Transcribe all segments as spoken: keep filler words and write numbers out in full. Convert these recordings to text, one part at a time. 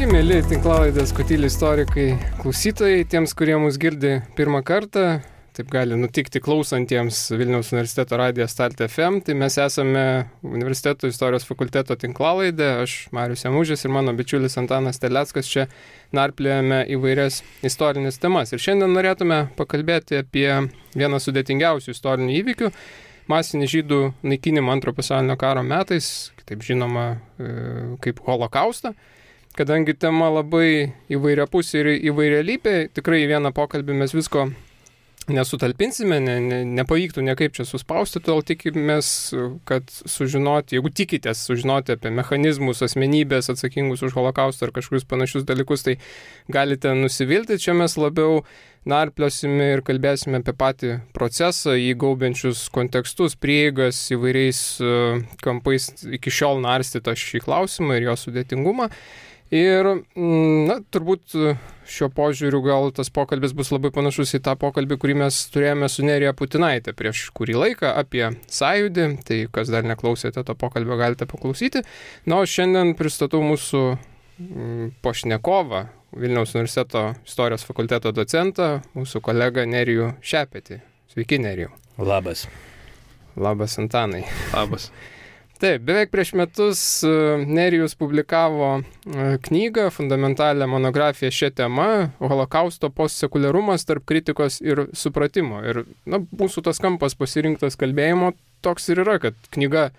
Sveiki, mėly tinklalaidės Kotylė istorikai klausytojai, tiems, kurie mus girdi pirmą kartą, taip gali nutikti klausantiems Vilniaus universiteto radijo Start F M, tai mes esame universiteto istorijos fakulteto tinklalaidė, aš Marius Jamužis ir mano bičiulis Antanas Terleckas čia narpliojame įvairias istorinės temas. Ir šiandien norėtume pakalbėti apie vieną sudėtingiausių istorinių įvykių, masinį žydų naikinimą Antro pasaulinio karo metais, kitaip žinoma kaip holokaustą. Kadangi tema labai įvairiapusė ir įvairialypė, tikrai į vieną pokalbį mes visko nesutalpinsime, ne, ne, nepavyktų niekaip čia suspausti, todėl tikimės, kad sužinoti, jeigu tikitės sužinoti apie mechanizmus, asmenybės atsakingus už holokaustą ar kažkokius panašius dalykus, tai galite nusivilti. Čia mes labiau narpliosime ir kalbėsime apie patį procesą, įgaubiančius kontekstus, prieigas įvairiais kampais iki šiol narstytą šį klausimą ir jo sudėtingumą. Ir, na, turbūt šiuo požiūriu gal tas pokalbis bus labai panašus į tą pokalbį, kurį mes turėjome su Nerija Putinaitė prieš kurį laiką apie sąjūdį, tai kas dar neklausėte to pokalbio, galite paklausyti. Na, o šiandien pristatau mūsų pašnekovą, Vilniaus universiteto istorijos fakulteto docentą, mūsų kolegą Nerijų Šepetį. Sveiki, Nerijų. Labas. Labas, Antanai. Labas. Taip, beveik prieš metus Nerijus publikavo knygą, fundamentalią monografiją šią temą, holokausto postsekuliarumas tarp kritikos ir supratimo. Ir na, mūsų tas kampas pasirinktas kalbėjimo toks ir yra, kad knyga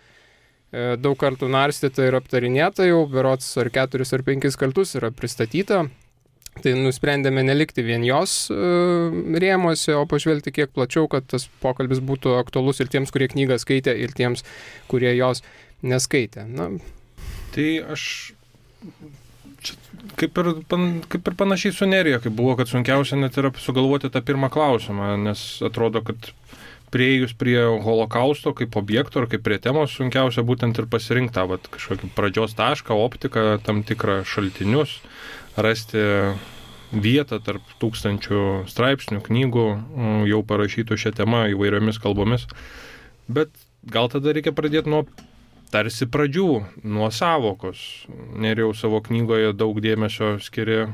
daug kartų narstyta ir aptarinėta jau, berods ar keturis ar penkis kartus yra pristatyta. Tai nusprendėme nelikti vien jos rėmuose, o pažvelgti kiek plačiau, kad tas pokalbis būtų aktualus ir tiems, kurie knygą skaitė, ir tiems, kurie jos neskaitė. Na. Tai aš čia, kaip, ir, kaip ir panašiai su Nerija, kaip buvo, kad sunkiausia net yra sugalvoti tą pirmą klausimą, nes atrodo, kad prieėjus prie holokausto kaip objekto ar kaip prie temos sunkiausia būtent ir pasirinkti tą kažkokį pradžios tašką, optiką, tam tikrą šaltinius, rasti vietą tarp tūkstančių straipsnių, knygų jau parašytų šią temą įvairiomis kalbomis. Bet gal tada reikia pradėti nuo tarsi pradžių, nuo sąvokos. Nerijau savo knygoje daug dėmesio skiri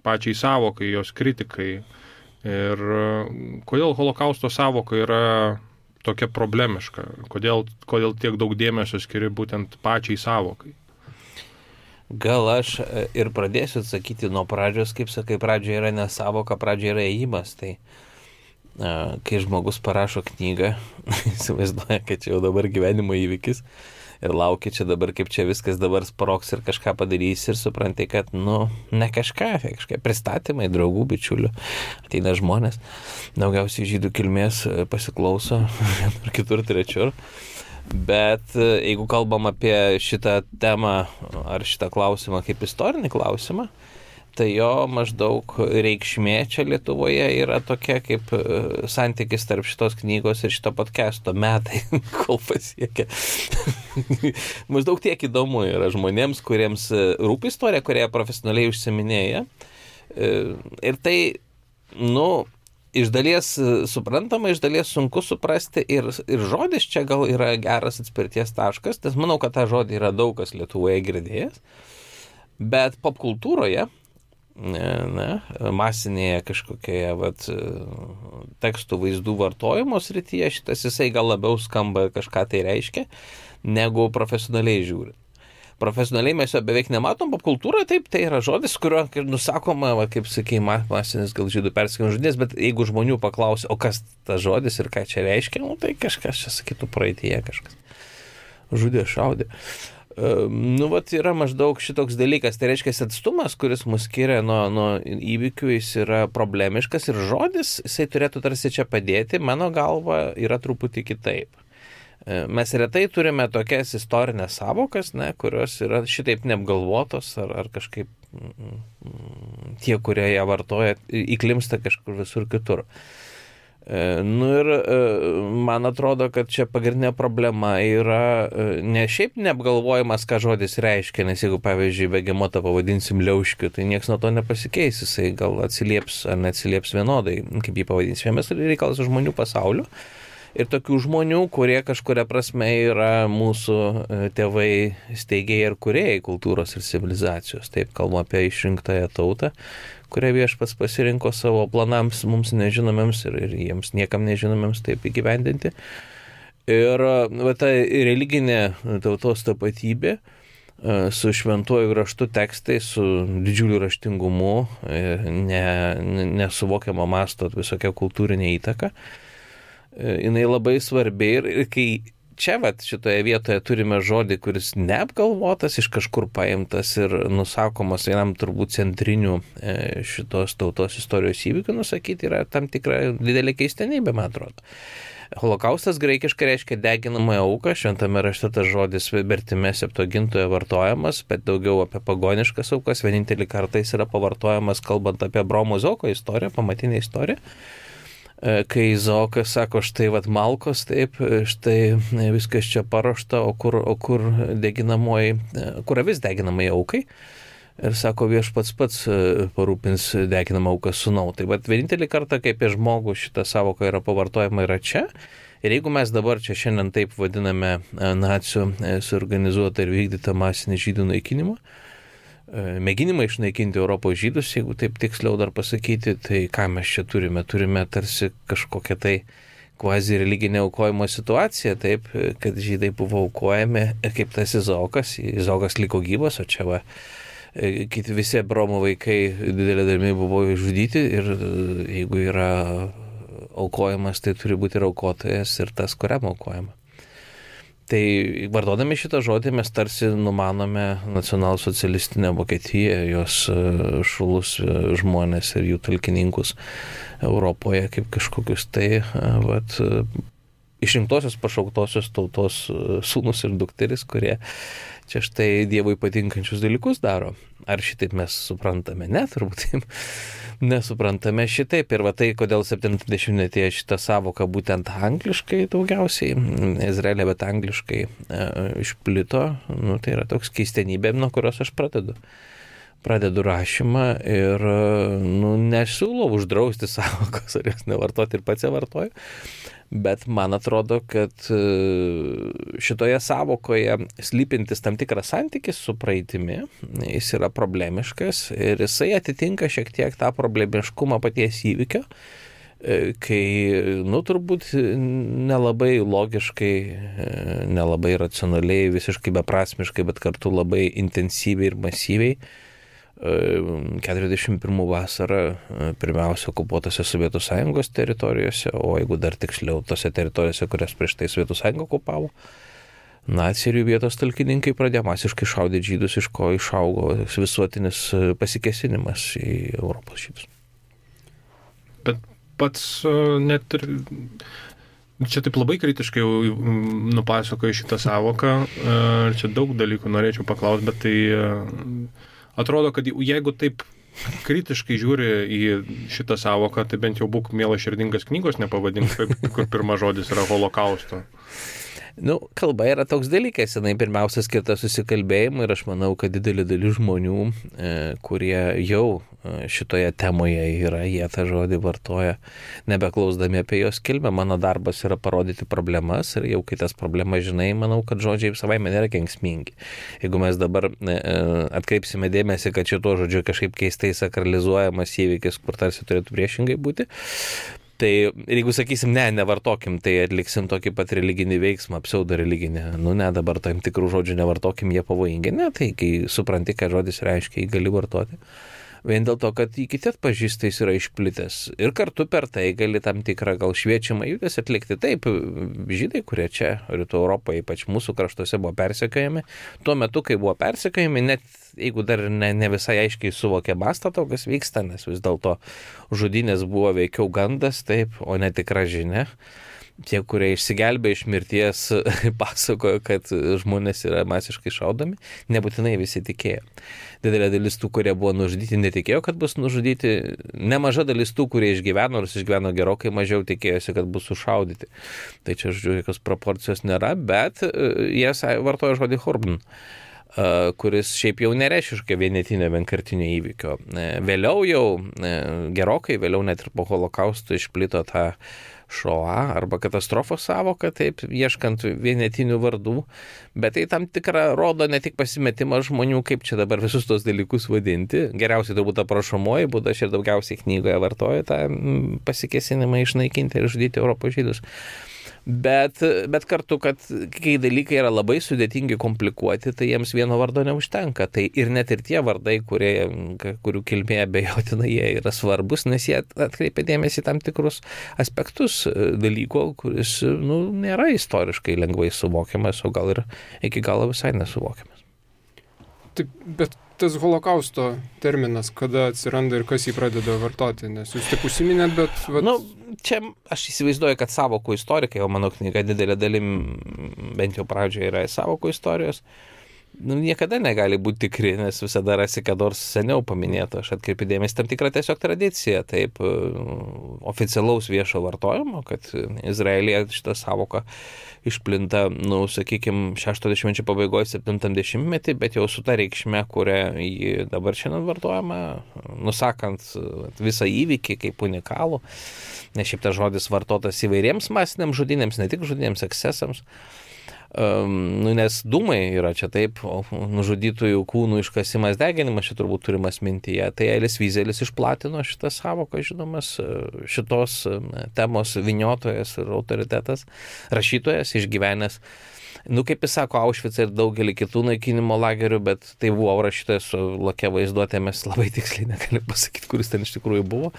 pačiai sąvokai, jos kritikai. Ir kodėl holokausto sąvoka yra tokia problemiška? Kodėl, kodėl tiek daug dėmesio skiri būtent pačiai sąvokai? Gal aš ir pradėsiu atsakyti nuo pradžios, kaip sakai, pradžia yra ne sąvoka, pradžia yra ėjimas. Tai kai žmogus parašo knygą, įsivaizduoja, kad čia jau dabar gyvenimo įvykis ir laukia čia dabar, kaip čia viskas dabar sprogs ir kažką padarys ir supranti, kad, nu, ne kažką, kažką pristatymai, draugų, bičiulių, ateina žmonės, daugiausiai žydų kilmės pasiklauso ir kitur trečiur. Bet jeigu kalbam apie šitą temą ar šitą klausimą kaip istorinį klausimą, tai jo maždaug reikšmė čia Lietuvoje yra tokia kaip santykis tarp šitos knygos ir šito podcasto metai, kol pasiekia. Maždaug tiek įdomu yra žmonėms, kuriems rūpi istorija, kurie profesionaliai užsiminėja. Ir tai, nu, iš dalies suprantama, iš dalies sunku suprasti ir, ir žodis čia gal yra geras atspirties taškas, nes manau, kad tą žodį yra daug kas Lietuvoje girdėjęs, bet popkultūroje, ne, ne, masinėje kažkokioje vat, tekstų vaizdų vartojimo srityje šitas jisai gal labiau skamba kažką tai reiškia, negu profesionaliai žiūrint. Profesionaliai mes jo beveik nematom, popkultūroje taip, tai yra žodis, kurio nusakoma, va, kaip sakei, masinis gal žydų persekiojimo žudynės, bet jeigu žmonių paklausia, o kas tas žodis ir ką čia reiškia, nu, tai kažkas čia sakytų praeityje, kažkas žudė, šaudė. Uh, nu, vat yra maždaug šitoks dalykas, tai reiškia atstumas, kuris mus skiria nuo, nuo įvykių, jis yra problemiškas ir žodis, jisai turėtų tarsi čia padėti, mano galva yra truputį kitaip. Mes retai turime tokias istorinės sąvokas, ne, kurios yra šitaip neapgalvotos ar, ar kažkaip mm, tie, kurie ją vartoja, įklimsta kažkur visur kitur. Nu ir man atrodo, kad čia pagrindinė problema yra ne šiaip neapgalvojimas, ką žodis reiškia, nes jeigu, pavyzdžiui, begemotą pavadinsim liauškiu, tai nieks nuo to nepasikeis, jisai gal atsilieps ar neatsilieps vienodai, kaip jį pavadinsime, mes reikalas žmonių pasauliu. ir tokių žmonių, kurie kažkuria prasme yra mūsų tėvai steigėjai ir kūrėjai kultūros ir civilizacijos. Taip, kalbu apie išrinktąją tautą, kurią viešpats pasirinko savo planams mums nežinomiems ir, ir jiems niekam nežinomiems taip įgyvendinti. Ir va, ta religinė tautos tapatybė su šventuoju raštu tekstai, su didžiuliu raštingumu, ne, nesuvokiamo masto visokia kultūrinė įtaka, jinai labai svarbi ir, ir kai čia vat, šitoje vietoje turime žodį, kuris neapgalvotas, iš kažkur paimtas ir nusakomas vienam turbūt centrinių šitos tautos istorijos įvykių, nusakyti yra tam tikra didelė keistenybė, man atrodo. Holokaustas graikiškai reiškia deginamąją auką, šventame rašte tas žodis vertime Septuagintoje vartojamas, bet daugiau apie pagoniškas aukas, vienintelį kartą jis yra pavartojamas kalbant apie Abraomo Izaoko istoriją, pamatinę istoriją, kai Izaokas sako, štai vat malkos, taip, štai viskas čia paruošta, o kur, o kur deginamoji, kur avis deginamai aukai. Ir sako, viešpats pats parūpins deginamą auką sūnau. Tai bet vienintelį kartą, kai apie žmogų šitą savoką yra pavartojama, yra čia. Ir jeigu mes dabar čia šiandien taip vadiname nacių suorganizuotą ir vykdytą masinį žydų naikinimą, mėginimą išnaikinti Europos žydus, jeigu taip tiksliau dar pasakyti, tai ką mes čia turime? Turime tarsi kažkokią tai kvazi religinė aukojimo situacija, taip, kad žydai buvo aukojami kaip tas Izaokas, Izaokas liko gyvas, o čia va, kiti visi Abraomo vaikai didelė dalimi buvo išžudyti ir jeigu yra aukojamas, tai turi būti ir aukotojas ir tas, kuriam aukojama. Tai vardodami šitą žodį mes tarsi numanome nacionalsocialistinę Vokietiją, jos šulus žmonės ir jų talkininkus Europoje kaip kažkokius tai vat, išrinktosios pašauktosios tautos sūnus ir dukteris, kurie čia štai Dievui patinkančius dalykus daro. Ar šitaip mes suprantame? Ne, turbūt nesuprantame šitaip. Ir va tai, kodėl septyniasdešimtmetyje šitą savoką būtent angliškai daugiausiai, Izraelė, bet angliškai e, išplito, nu, tai yra toks keistenybė, nuo kurios aš pradedu. Pradedu rašymą ir nu, nesiūlau uždrausti savokos, ar jos nevartoti ir pats ją vartoju. Bet man atrodo, kad šitoje savokoje slypintis tam tikras santykis su praeitimi, jis yra problemiškas ir jisai atitinka šiek tiek tą problemiškumą paties įvykio, kai, nu, turbūt nelabai logiškai, nelabai racionaliai, visiškai beprasmiškai, bet kartu labai intensyviai ir masyviai keturiasdešimt pirmų vasarą pirmiausia okupuotose Sovietų Sąjungos teritorijose, o jeigu dar tiksliau tose teritorijose, kurias prieš tai Sovietų Sąjunga okupavo, naciai ir jų vietos talkininkai pradėjo masiškai šaudyti žydus, iš ko išaugo visuotinis pasikėsinimas į Europos žydus. Bet pats net ir čia taip labai kritiškai nupasakoju šitą savoką, čia daug dalykų norėčiau paklausti, bet tai atrodo, kad jeigu taip kritiškai žiūri į šitą savoką, tai bent jau būk mielas širdingas knygos nepavadink, kur pirmas žodis yra holokausto. Nu, kalba yra toks dalykas, jinai pirmiausia skirta susikalbėjimui ir aš manau, kad didelė dalis žmonių, e, kurie jau šitoje temoje yra, jie tą žodį vartoja, nebeklausdami apie jos kilmę. Mano darbas yra parodyti problemas ir jau kai tas problemas žinai, manau, kad žodžiai savaime nėra kenksmingi. Jeigu mes dabar e, atkreipsime dėmesį, kad šito žodžiu kažkaip keistai sakralizuojamas įvykis, kur tarsi turėtų priešingai būti, tai jeigu sakysim, ne, nevartokim, tai atliksim tokį pat religinį veiksmą, pseudo religinį. Nu ne, dabar tam tikrų žodžių nevartokim, jie pavojingi. Ne, tai kai supranti, ką žodis reiškia, jį gali vartoti. Vien dėl to, kad jį kiti atpažįsta, jis yra išplitęs. Ir kartu per tai gali tam tikrą gal šviečiamą judesį atlikti. Taip, žydai, kurie čia Rytų Europoje, ypač mūsų kraštuose, buvo persekiojami. Tuo metu, kai buvo persekiojami, net jeigu dar ne, ne visai aiškiai suvokė mastą to, kas vyksta, nes vis dėlto žudynės buvo veikiau gandas, taip, o ne tikra žinia. Tie, kurie išsigelbė iš mirties, pasakojo, kad žmonės yra masiškai šaudomi, nebūtinai visi tikėjo. Didelė dalis tų, kurie buvo nužudyti, netikėjo, kad bus nužudyti. Nemaža dalis tų, kurie išgyveno, nors išgyveno gerokai mažiau, tikėjosi, kad bus sušaudyti. Tai čia, žodžiu, jokios proporcijos nėra, bet jie vartoja žodį Horben. kuris šiaip jau nereiškia vienetinio vienkartinio įvykio. Vėliau jau, gerokai vėliau net ir po holokausto išplito tą šoa arba katastrofos sąvoką, taip, ieškant vienetinių vardų, bet tai tam tikrą rodo ne tik pasimetimą žmonių, kaip čia dabar visus tos dalykus vadinti. Geriausiai turbūt aprašomoji būda, aš ir daugiausiai knygoje vartoju tą pasikėsinimą išnaikinti ir žudyti Europos žydus. Bet, bet kartu, kad kai dalykai yra labai sudėtingi, komplikuoti, tai jiems vieno vardo neužtenka. Tai ir net ir tie vardai, kurie, kurių kilmė abejotina, jie yra svarbus, nes jie atkreipia dėmesį tam tikrus aspektus dalyko, kuris nu, nėra istoriškai lengvai suvokiamas, o gal ir iki galo visai nesuvokiamas. Taip, bet tas holokausto terminas, kada atsiranda ir kas jį pradeda vartoti, nes jūs tik užsiminėt, bet... Vat... Nu, čia aš įsivaizduoju, kad sąvokų istorikai, o mano knyga didelė dalim, bent jau pradžioje yra sąvokų istorijos, nu, niekada negali būti tikri, nes visada rasi, kad nors seniau paminėto. Aš atkreipiu dėmesį tam tikrą tiesiog tradiciją, taip, oficialaus viešo vartojimo, kad Izraelyje šitą sąvoką išplinta, nu, sakykime, šešto dešimtmečio pabaigoje, septintam dešimtmetį, bet jau su ta reikšme, kurią jį dabar šiandien vartojama, nusakant visą įvykį kaip unikalų, nes šiaip tas žodis vartotas įvairiems masiniams žudynėms, ne tik žudynėms, ekscesams. Um, nu, nes dūmai yra čia taip, o nužudytųjų kūnų iškasimas, deginimas čia turbūt turimas mintyje. Tai Elis Vyzelis išplatino šitą sąvoką, žinomas, šitos temos vyniotojas ir autoritetas, rašytojas, išgyvenęs. Nu, kaip jis sako, Aušvicą ir daugelį kitų naikinimo lagerių, bet tai buvo rašytojas su lakia vaizduotė, mes labai tiksliai negalim pasakyti, kuris ten iš tikrųjų buvo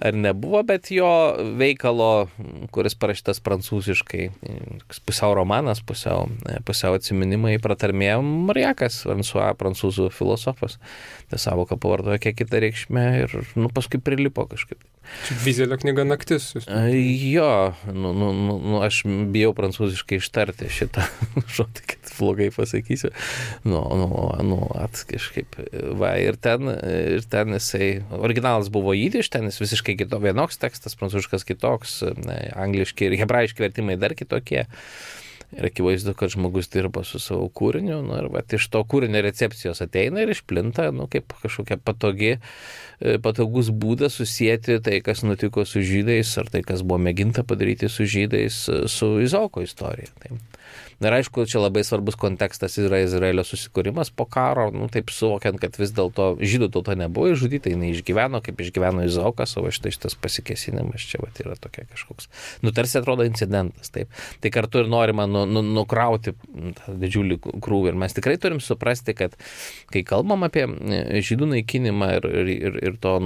ar nebuvo, bet jo veikalo, kuris parašytas prancūziškai, pusiau romanas, pusiau, pusiau atsiminimai, pratarmėjo Mariakas, François, prancūzų filosofas. Ta sąvoka pavartojo kiek kitą reikšmę ir nu, paskui prilipo kažkaip. Čia Vyzelio knyga Naktis. Jūs... Jo, nu, nu, nu, aš bijau prancūziškai ištarti šitą žodį, kad blogai pasakysiu. Nu, nu, nu, at kažkaip. Va, ir ten, ir ten jisai, originalas buvo jidiš, ten jis visiškai kito, vienoks tekstas, prancūziškas kitoks, angliški ir hebrajiški vertimai dar kitokie. Ir akivaizdu, kad žmogus dirba su savo kūriniu, nu, ir va, iš to kūrinio recepcijos ateina ir išplinta, nu, kaip kažkokia patogi, patogus būdas susijęti tai, kas nutiko su žydais, ar tai, kas buvo mėginta padaryti su žydais, su Izaoko istorija. Tai. Ir aišku, čia labai svarbus kontekstas yra Izraelio susikūrimas po karo, nu, taip suvokiant, kad vis dėlto žydų tauta nebuvo išžudyta, jinai išgyveno, kaip išgyveno Izaokas, o štai šitas pasikėsinimas čia vat, yra tokia kažkoks, nu, tarsi atrodo incidentas, taip. Tai kartu ir norima nu, nu, nukrauti tą didžiulį krūvį. Ir mes tikrai turim suprasti, kad kai kalbam apie žydų naikinimą ir, ir, ir to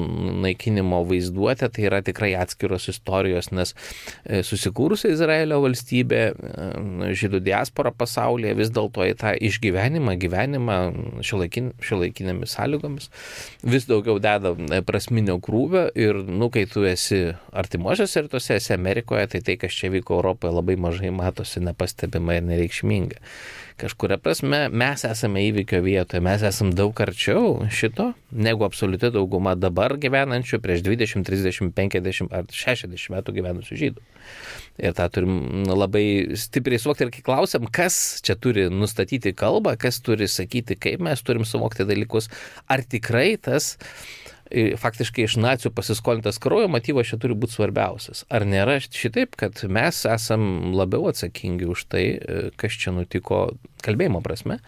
naikinimo vaizduotę, tai yra tikrai atskiros istorijos, nes susikūrusi Izraelio valstybė, žydų diaspora pasaulyje vis dėlto į tą išgyvenimą, gyvenimą šiuolaikin, šiuolaikinėmis sąlygomis vis daugiau deda prasminio krūvio ir, nu, kai tu esi artimuosiuose rytuose, esi Amerikoje, tai tai, kas čia vyko Europoje, labai mažai matosi, nepastebima ir nereikšminga. Kažkuria prasme mes esame įvykio vietoje, mes esame daug arčiau šito, negu absoliuti dauguma dabar gyvenančių prieš dvidešimt, trisdešimt, penkiasdešimt ar šešiasdešimt metų gyvenusių žydų. Ir tą turim labai stipriai suvokti ir kai klausiam, kas čia turi nustatyti kalbą, kas turi sakyti, kaip mes turim suvokti dalykus, ar tikrai tas faktiškai iš nacių pasiskolintas kraujo motyvas čia turi būti svarbiausias. Ar nėra šitaip, kad mes esam labiau atsakingi už tai, kas čia nutiko kalbėjimo prasme.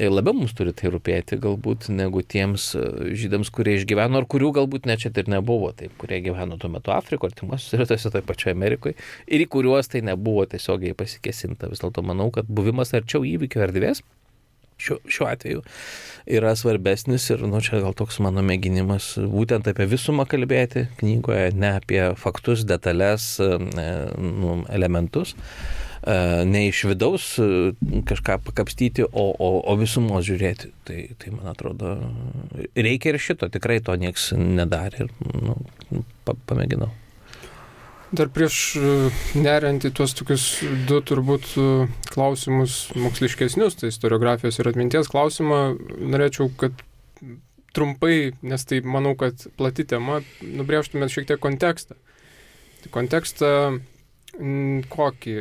Labiau mums turi tai rūpėti galbūt negu tiems žydams, kurie išgyveno, ar kurių galbūt net čia ir nebuvo, taip, kurie gyveno tuo metu Afrikoje, artimuosiuose rytuose, toje pačioje Amerikoje, ir į kuriuos tai nebuvo tiesiogiai pasikėsinta. Vis dėlto manau, kad buvimas arčiau įvykio erdvės Šiuo, šiuo atveju yra svarbesnis ir, nu, čia gal toks mano mėginimas būtent apie visumą kalbėti knygoje, ne apie faktus, detalės, nu, elementus, ne iš vidaus kažką pakapstyti, o, o, o visumos žiūrėti. Tai, tai, man atrodo, reikia ir šito, tikrai to nieks nedarė ir, nu, pamėginau. Dar prieš neriant į tuos tokius du turbūt klausimus moksliškesnius, tai istoriografijos ir atminties klausimą, norėčiau, kad trumpai, nes tai manau, kad plati tema, nubrėžtumėt šiek tiek kontekstą. Tai kontekstą kokį?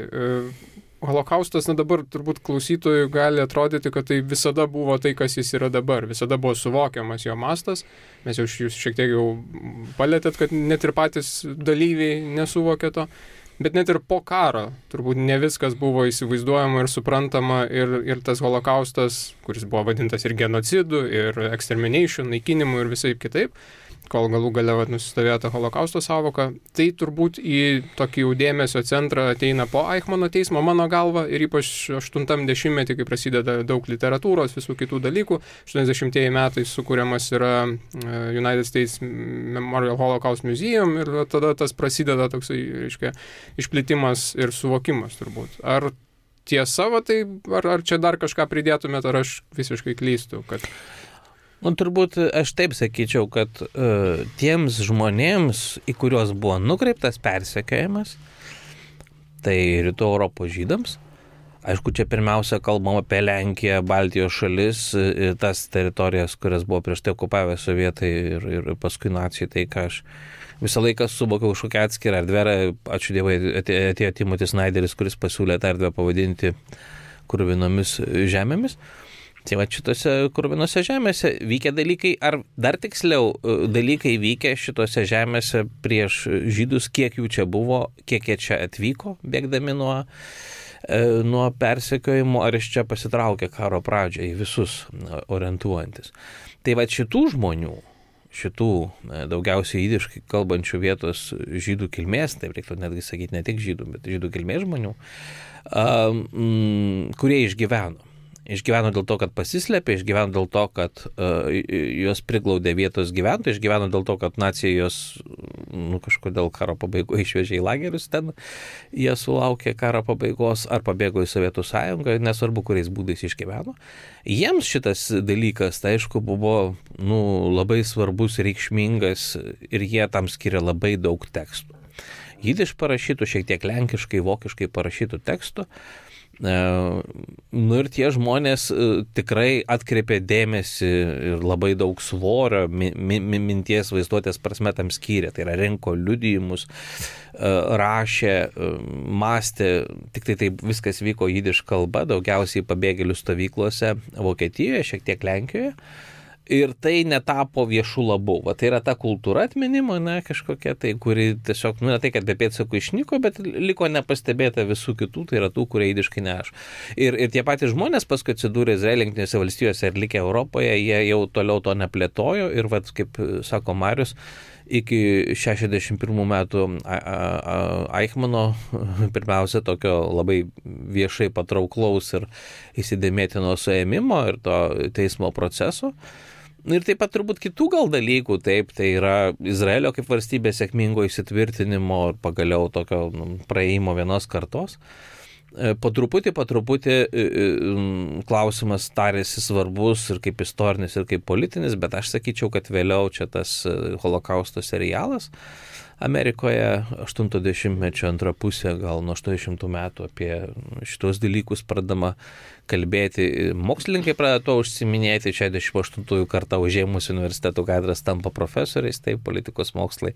holokaustas, na dabar turbūt klausytojui gali atrodyti, kad tai visada buvo tai, kas jis yra dabar. Visada buvo suvokiamas jo mastas. Mes jau jūs šiek tiek jau palėtėt, kad net ir patys dalyviai nesuvokė to. Bet net ir po karo turbūt ne viskas buvo įsivaizduojama ir suprantama. Ir, ir tas holokaustas, kuris buvo vadintas ir genocidu, ir extermination, naikinimu ir visai kitaip, kol galų gale nusistovėjo tą holokausto sąvoką, tai turbūt į tokį jau dėmesio centrą ateina po Eichmano teismo, mano galva, ir ypač aštuntam dešimtmetį, kai prasideda daug literatūros, visų kitų dalykų. aštuoniasdešimtieji metai sukūriamas yra United States Memorial Holocaust Museum ir tada tas prasideda toksai, reiškia, išplitimas ir suvokimas turbūt. Ar tiesa, va, tai, ar, ar čia dar kažką pridėtumėt, ar aš visiškai klystu, kad... Nu, turbūt aš taip sakyčiau, kad uh, tiems žmonėms, į kuriuos buvo nukreiptas persekiojimas, tai Rytų Europos žydams, aišku, čia pirmiausia kalbam apie Lenkiją, Baltijos šalis, tas teritorijas, kurias buvo prieš tai okupavę sovietai ir, ir paskui nacijai, tai ką aš visą laiką suvokiau už kokią atskirą erdvę, ačiū Dievui, atėjo Timotis Snyderis, kuris pasiūlė tą erdvę pavadinti kruvinomis žemėmis. Tai va šitose krūvinose žemėse vykę dalykai, ar dar tiksliau dalykai vykę šitose žemėse prieš žydus, kiek jų čia buvo, kiek jie čia atvyko, bėgdami nuo, nuo persekiojimo, ar iš čia pasitraukė karo pradžią į visus orientuojantis. Tai va šitų žmonių, šitų daugiausiai jidiškai kalbančių vietos žydų kilmės, taip reiktų netgi sakyti ne tik žydų, bet žydų kilmės žmonių, kurie išgyveno. Išgyveno dėl to, kad pasislėpė, išgyveno dėl to, kad uh, juos priglaudė vietos gyventojai, išgyveno dėl to, kad nacija juos nu, kažkodėl karo pabaigoje išvežė į lagerius, ten jie sulaukė karo pabaigos ar pabėgo į Sovietų sąjungą, nesvarbu, kuriais būdais išgyveno. Jiems šitas dalykas, tai aišku, buvo nu, labai svarbus, reikšmingas ir jie tam skiria labai daug tekstų. Jidiš parašytų, šiek tiek lenkiškai, vokiškai parašytų tekstų. Nu ir tie žmonės tikrai atkreipė dėmesį ir labai daug svorio mi, mi, minties vaizduotės prasme tam skyrė. Tai yra rinko liudijimus, rašė, mąstė, tik tai taip viskas vyko jidiš kalba, daugiausiai pabėgėlių stovyklose Vokietijoje, šiek tiek Lenkijoje. Ir tai netapo viešų labų. Va, tai yra ta kultūra atminimo, ne, kažkokia tai, kuri tiesiog, nu, ne tai, kad be pėdsakų išnyko, bet liko nepastebėta visų kitų, tai yra tų, kurie jidiškai neaš. Ir, ir tie patys žmonės paskui atsidūrė Izraelio Jungtinėse valstijose ir likę Europoje, jie jau toliau to neplėtojo ir, va, kaip sako Marius, iki šešiasdešimt pirmų metų Eichmano, pirmiausia, tokio labai viešai patrauklaus ir įsidėmėtino suėmimo ir to teismo proceso. Ir taip pat turbūt kitų gal dalykų, taip, tai yra Izraelio kaip valstybės sėkmingo įsitvirtinimo ir pagaliau tokio nu, praėjimo vienos kartos. Po truputį, po truputį klausimas tarėsi svarbus ir kaip istorinis, ir kaip politinis, bet aš sakyčiau, kad vėliau čia tas holokausto serialas Amerikoje aštunto dešimtmečio antra pusė, gal nuo aštuoniasdešimtų metų apie šitos dalykus pradama kalbėti. Mokslininkai pradeda to užsiminėti, šešiasdešimt aštuntųjų kartą užėmus universitetų katedras tampa profesoriais, taip, politikos mokslai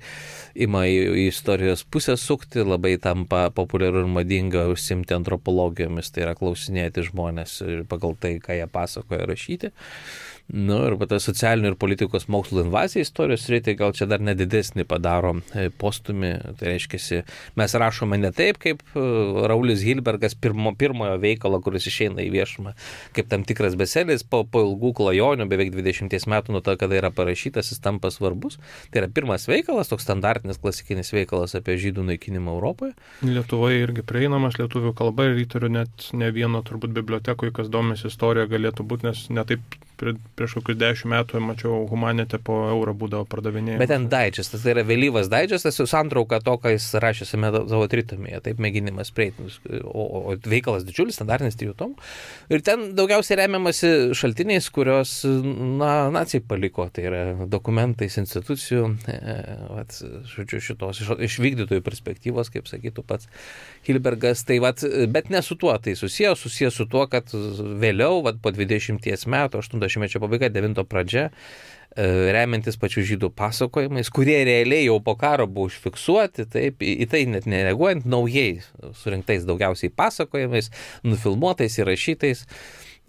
ima į, į istorijos pusę sukti, labai tampa populiaru ir madinga užsimti antropologijomis, tai yra klausinėti žmonės ir pagal tai, ką jie pasakoja, rašyti. Nu, ir ta socialinių ir politikos mokslo invazija istorijos srityje gal čia dar nedidesnį padaro postumį. Tai reiškia, mes rašome ne taip, kaip Raulis Hilbergas pirmo, pirmojo veikalo, kuris išeina į viešumą, kaip tam tikras bestselis, po, po ilgų klajonių, beveik dvidešimties metų nuo to, kada yra parašytas, jis tampa svarbus. Tai yra pirmas veikalas, toks standartinis klasikinis veikalas apie žydų naikinimą Europoje. Lietuvoje irgi prieinamas lietuvių kalba ir įtariu net ne vieno turbūt bibliotekoje, kas domisi istorija galėtų būti, nes netaip prieš kokius dešimt metų mačiau Humanite po eurą būdavo pardavinėjama. Bet ten daičestas, tai yra vėlyvas daičestas, jau santrauka to, ką jis rašė savo tritomėje, taip mėginimas prieiti, o, o veikalas didžiulis, standartinis trijų tomų. Ir ten daugiausiai remiamasi šaltiniais, kurios na, nacijai paliko, tai yra dokumentais institucijų, e, vat, žodžiu, šitos iš, iš vykdytojų perspektyvos, kaip sakytų pats Hilbergas, tai vat, bet ne su tuo, tai susijęs, susijęs su tuo, kad vėliau, vat, po dvidešimties metų, aštunto aštunto šimtmečio pabaiga, devinto pradžia, remiantis pačių žydų pasakojimais, kurie realiai jau po karo buvo užfiksuoti, taip, į tai net nereaguojant, naujai surinktais daugiausiai pasakojimais, nufilmuotais, įrašytais,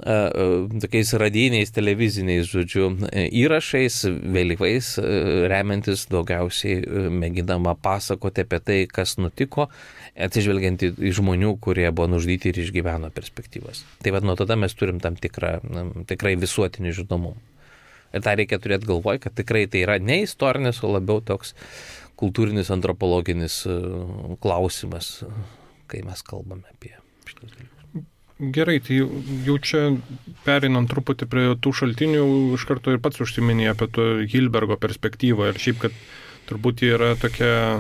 tokiais radijiniais, televiziniais, žodžiu, įrašais, vėlyvais, remiantis daugiausiai mėginama pasakoti apie tai, kas nutiko, atsižvelgiant į žmonių, kurie buvo nužudyti ir išgyveno perspektyvas. Tai vad nuo tada mes turim tam tikrą, tikrai visuotinį žinomumą. Ir tą reikia turėti galvoj, kad tikrai tai yra ne istorinis, o labiau toks kultūrinis, antropologinis klausimas, kai mes kalbame apie šitus dalykus. Gerai, tai jau čia perinant truputį prie tų šaltinių, iš karto ir pats užsiminė apie to Hilbergo perspektyvą ir šiaip, kad turbūt yra tokia,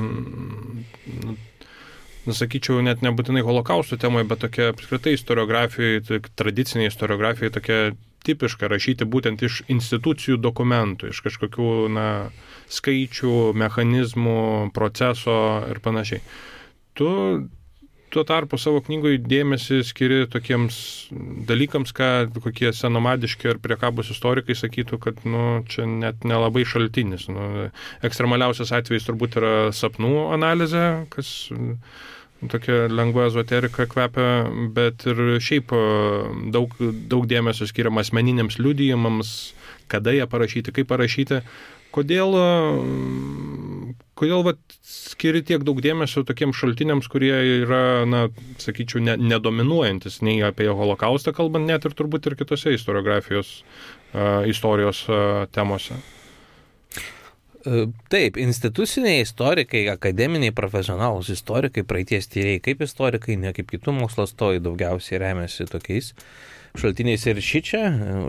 nesakyčiau, net nebūtinai holokausto temoje, bet tokia apskritai istoriografijoje, tradicinė istoriografijoje tokia tipiška rašyti būtent iš institucijų dokumentų, iš kažkokių na, skaičių, mechanizmų, proceso ir panašiai. Tu tuo tarpu savo knygoje dėmesį skiri tokiems dalykams, ką kokie senomadiški ar priekabūs istorikai sakytų, kad nu, čia net nelabai šaltinis. Nu, ekstremaliausias atvejis turbūt yra sapnų analizė, kas tokia lengva ezoterika kvepia, bet ir šiaip daug, daug dėmesio skiriama asmeniniams liudijimams, kada jie parašyti, kaip parašyti. Kodėl, kodėl vat, skiri tiek daug dėmesio tokiems šaltiniams, kurie yra, na, sakyčiau, ne, nedominuojantis nei apie holokaustą kalbant, net ir turbūt ir kitose istoriografijos uh, istorijos uh, temose? Taip, instituciniai istorikai, akademiniai, profesionalūs istorikai, praeities tyrėjai kaip istorikai, ne kaip kitų mokslo atstovai daugiausiai remiasi tokiais šaltiniais ir šičia,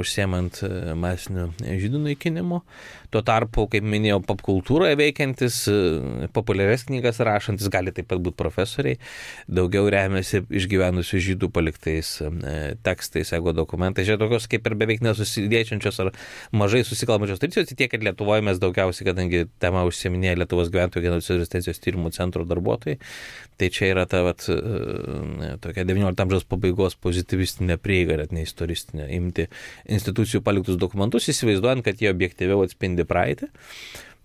užsiemant masinių žydų naikinimu. Tuo tarpu, kaip minėjau, popkultūroje veikiantis, populiarias knygas rašantis, gali taip pat būti profesoriai, daugiau remiasi išgyvenusių žydų paliktais tekstais, ego dokumentais. Čia tokios kaip ir beveik nesusidėčiančios ar mažai susikalbančios tradicijos, tiek, kad Lietuvoje mes daugiausiai, kadangi tema užsieminėja Lietuvos gyventojų genocido ir rezistencijos tyrimų centro darbuotojai, tai čia yra ta vat, tokia devyniolikto amžiaus pabaigos pozitivistinė prieiga, net ne istoristinė, imti institucijų paliktus dokumentus, įsivaizduojant, kad jie objektyviau atspindi praeitį.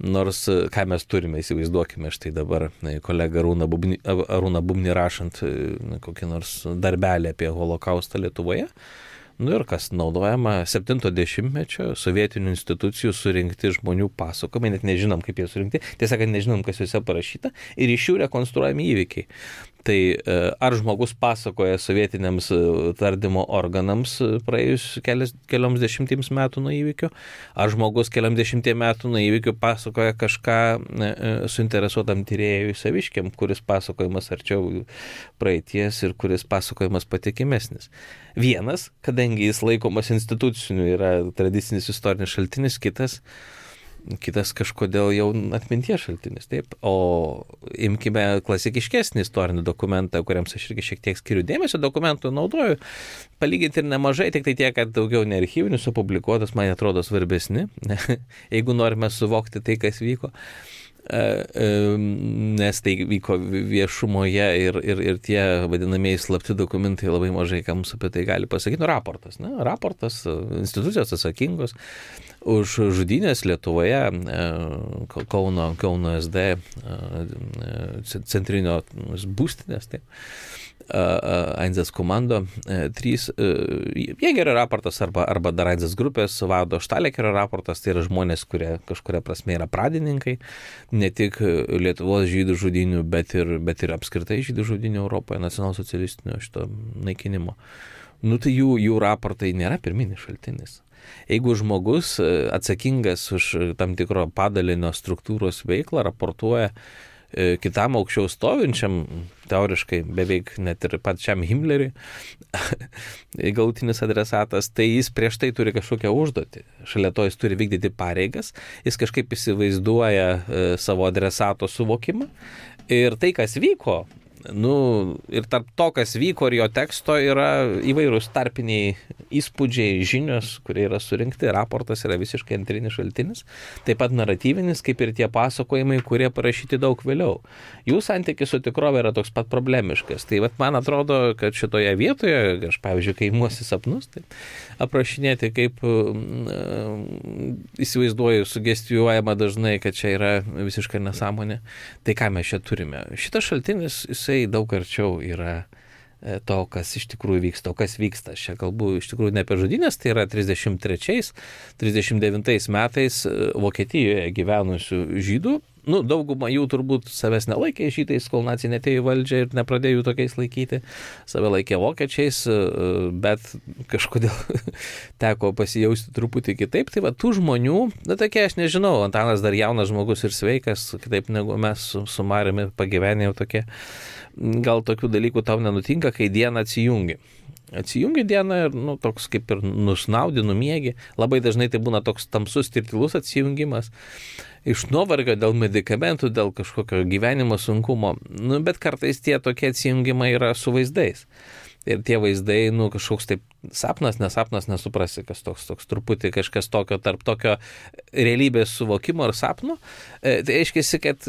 Nors, ką mes turime, įsivaizduokime, štai dabar kolega Arūną Bubnį, Arūną Bubnį rašant kokį nors darbelį apie holokaustą Lietuvoje. Nu ir kas naudojama septinto dešimtmečio sovietinių institucijų surinkti žmonių pasakojimai, net nežinom, kaip jie surinkti, tiesą kad nežinom, kas juose parašyta, ir iš jų rekonstruojami įvykiai. Tai ar žmogus pasakoja sovietiniams tardymo organams praėjus kelias, kelioms dešimtims metų nuo įvykių, ar žmogus kelioms dešimties metų nuo įvykių pasakoja kažką suinteresuotam tyrėjui saviškiam, kuris pasakojimas arčiau praeities ir kuris pasakojimas patikimesnis. Vienas, kadangi jis laikomas instituciniu, yra tradicinis istorinis šaltinis, kitas kitas kažkodėl jau atminties šaltinis, taip. O imkime klasikiškesnį istorinį dokumentą, kuriems aš irgi šiek tiek skiriu dėmesio, dokumentų naudoju, palyginti ir nemažai, tik tai tiek, kad daugiau ne archyvinių supublikuotas, man atrodo svarbesni, jeigu norime suvokti tai, kas vyko. Nes tai vyko viešumoje ir, ir, ir tie vadinamieji slapti dokumentai labai mažai ką mums apie tai gali pasakyti. Nu, raportas, ne? Raportas, institucijos atsakingos už žudynės Lietuvoje, Kauno, Kauno S D centrinio būstinės, taip. Einzas komando trys Jėgerio raportas arba, arba dar Einzas grupės vado Štalekerio raportas, tai yra žmonės, kurie kažkuria prasme yra pradininkai ne tik Lietuvos žydų žudynių, bet ir, bet ir apskritai žydų žudynių Europoje, nacionalsocialistinio šito naikinimo. Nu tai jų, jų raportai nėra pirminis šaltinis. Jeigu žmogus atsakingas už tam tikro padalinio struktūros veiklą raportuoja kitam aukščiau stovinčiam, teoriškai beveik net ir pačiam Himmleriui, galutinis adresatas, tai jis prieš tai turi kažkokią užduotį. Šalia to jis turi vykdyti pareigas, jis kažkaip įsivaizduoja savo adresato suvokimą ir tai, kas vyko nu, ir tarp to, kas vyko ir jo teksto, yra įvairūs tarpiniai įspūdžiai, žinios, kurie yra surinkti, raportas yra visiškai antrinis šaltinis, taip pat naratyvinis, kaip ir tie pasakojimai, kurie parašyti daug vėliau. Jų santykis su tikrove yra toks pat problemiškas. Tai vat, man atrodo, kad šitoje vietoje, aš pavyzdžiui, kai imuosi sapnus, tai aprašinėti, kaip uh, įsivaizduoju, sugestijuojama dažnai, kad čia yra visiškai nesąmonė. Tai ką mes čia turime? Šitas šaltinis, jisai daug arčiau yra to, kas iš tikrųjų vyksta, o kas vyksta. Aš čia kalbu iš tikrųjų ne apie žudynės, tai yra trisdešimt trečiais trisdešimt devintais metais Vokietijoje gyvenusių žydų. Nu, dauguma jų turbūt savęs nelaikė žydais, kol naciai netėjo į valdžią ir nepradėjo jų tokiais laikyti. Save laikė vokiečiais, bet kažkodėl teko pasijausti truputį kitaip. Tai va, tų žmonių, na tokie, aš nežinau, Antanas dar jaunas žmogus ir sveikas, kitaip negu mes su, su Mariumi pagyvenė jau tokie. Gal tokių dalykų tau nenutinka, kai dieną atsijungi. Atsijungi dieną ir, nu, toks kaip ir nusnaudi, numiegi. Labai dažnai tai būna toks tamsus, tirtilus atsijungimas. Iš nuovargio dėl medikamentų, dėl kažkokio gyvenimo sunkumo. Nu, bet kartais tie tokie atsijungimai yra su vaizdais. Ir tie vaizdai, nu, kažkoks taip sapnas, nesapnas, nesuprasi, kas toks, toks truputį kažkas tokio tarp tokio realybės suvokimo ir sapno. E, tai aiškiai, kad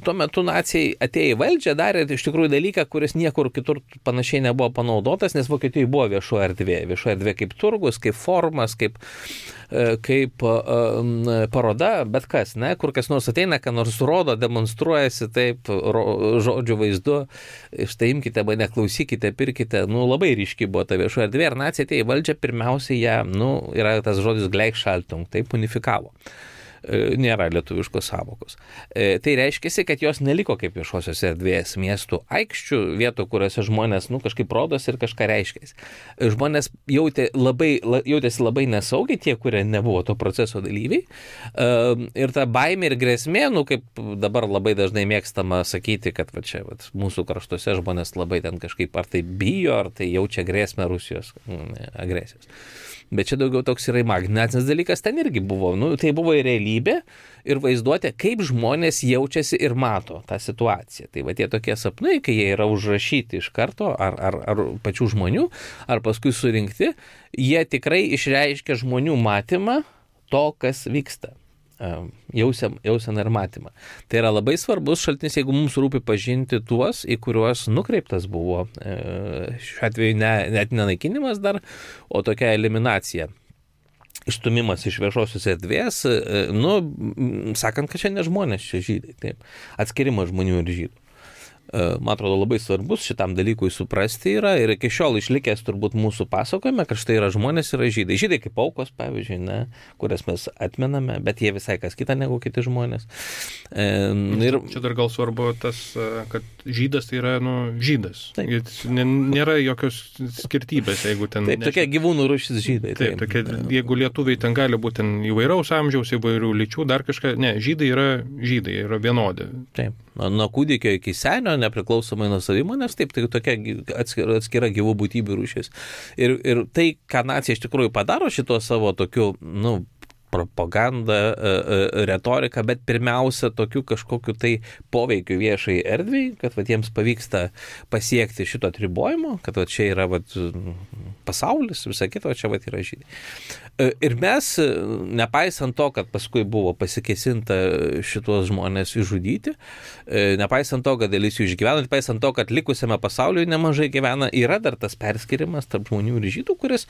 tuo metu naciai atėjo į valdžią, darė iš tikrųjų dalyką, kuris niekur kitur panašiai nebuvo panaudotas, nes Vokietijoje buvo viešo erdvė. Viešo erdvė kaip turgus, kaip formas, kaip, kaip um, paroda, bet kas, ne, kur kas nors ateina, ką nors rodo, demonstruojasi taip, ro, žodžių vaizdu, štai imkite mane, klausykite, pirkite, nu, labai ryški buvo ta viešo erdvė ir naciai atėjo į valdžią, pirmiausiai ją, nu, yra tas žodis Gleichschaltung, taip unifikavo. Nėra lietuviškos savokos. Tai reiškia, kad jos neliko kaip viešosios erdvės miestų aikščių, vietų, kuriuose žmonės, nu, kažkaip rodos ir kažką reiškia. Žmonės jautė labai, jautėsi labai nesaugiai, tie, kurie nebuvo to proceso dalyviai. Ir ta baimė ir grėsmė, nu, kaip dabar labai dažnai mėgstama sakyti, kad va, čia va, mūsų kraštuose žmonės labai ten kažkaip ar tai bijo, ar tai jaučia grėsmę Rusijos agresijos. Bet čia daugiau toks yra imaginacinis dalykas, ten irgi buvo, nu, tai buvo ir realybė, ir vaizduotė, kaip žmonės jaučiasi ir mato tą situaciją. Tai va tie tokie sapnai, kai jie yra užrašyti iš karto, ar, ar, ar pačių žmonių, ar paskui surinkti, jie tikrai išreiškia žmonių matymą to, kas vyksta. Jauseną jausen ir matymą. Tai yra labai svarbus šaltinis, jeigu mums rūpi pažinti tuos, į kuriuos nukreiptas buvo šiuo atveju ne, net nenaikinimas dar, o tokia eliminacija. Išstumimas iš viešosios erdvės, nu, sakant, kad čia ne žmonės, čia žydai, taip. Atskirimas žmonių ir žydų. Man atrodo, labai svarbus šitam dalykui suprasti yra ir iki šiol išlikęs turbūt mūsų pasakojime, kad štai yra žmonės, yra žydai. Žydai kaip aukos, pavyzdžiui, ne, kurias mes atmename, bet jie visai kas kita negu kiti žmonės. E, ir... Čia dar gal svarbu tas, kad žydas tai yra, nu, žydas. Taip. Nėra jokios skirtybės, jeigu ten... Taip, tokie gyvūnų rūšis žydai. Taip, taip tokie, jeigu lietuviai ten gali būti ten įvairaus amžiaus, įvairių lyčių, dar kažką, ne, žydai yra žydai, yra vienodi. Taip. Nuo kūdikio iki senio, nepriklausomai nuo savimonės, taip, tai tokia atskira, atskira gyvų būtybių rūšis. Ir, ir tai, ką nacija iš tikrųjų padaro šito savo tokiu, nu, propaganda, retorika, bet pirmiausia tokiu kažkokiu tai poveikiu viešai erdviai, kad va, jiems pavyksta pasiekti šito atribojimo, kad va, čia yra va, pasaulis, visą kitą, čia va, yra žydai. Ir mes, nepaisant to, kad paskui buvo pasikesinta šitos žmonės išžudyti, nepaisant to, kad dalis jų išgyvena, nepaisant to, kad likusiame pasaulyje nemažai gyvena, yra dar tas perskirimas tarp žmonių ir žydų, kuris,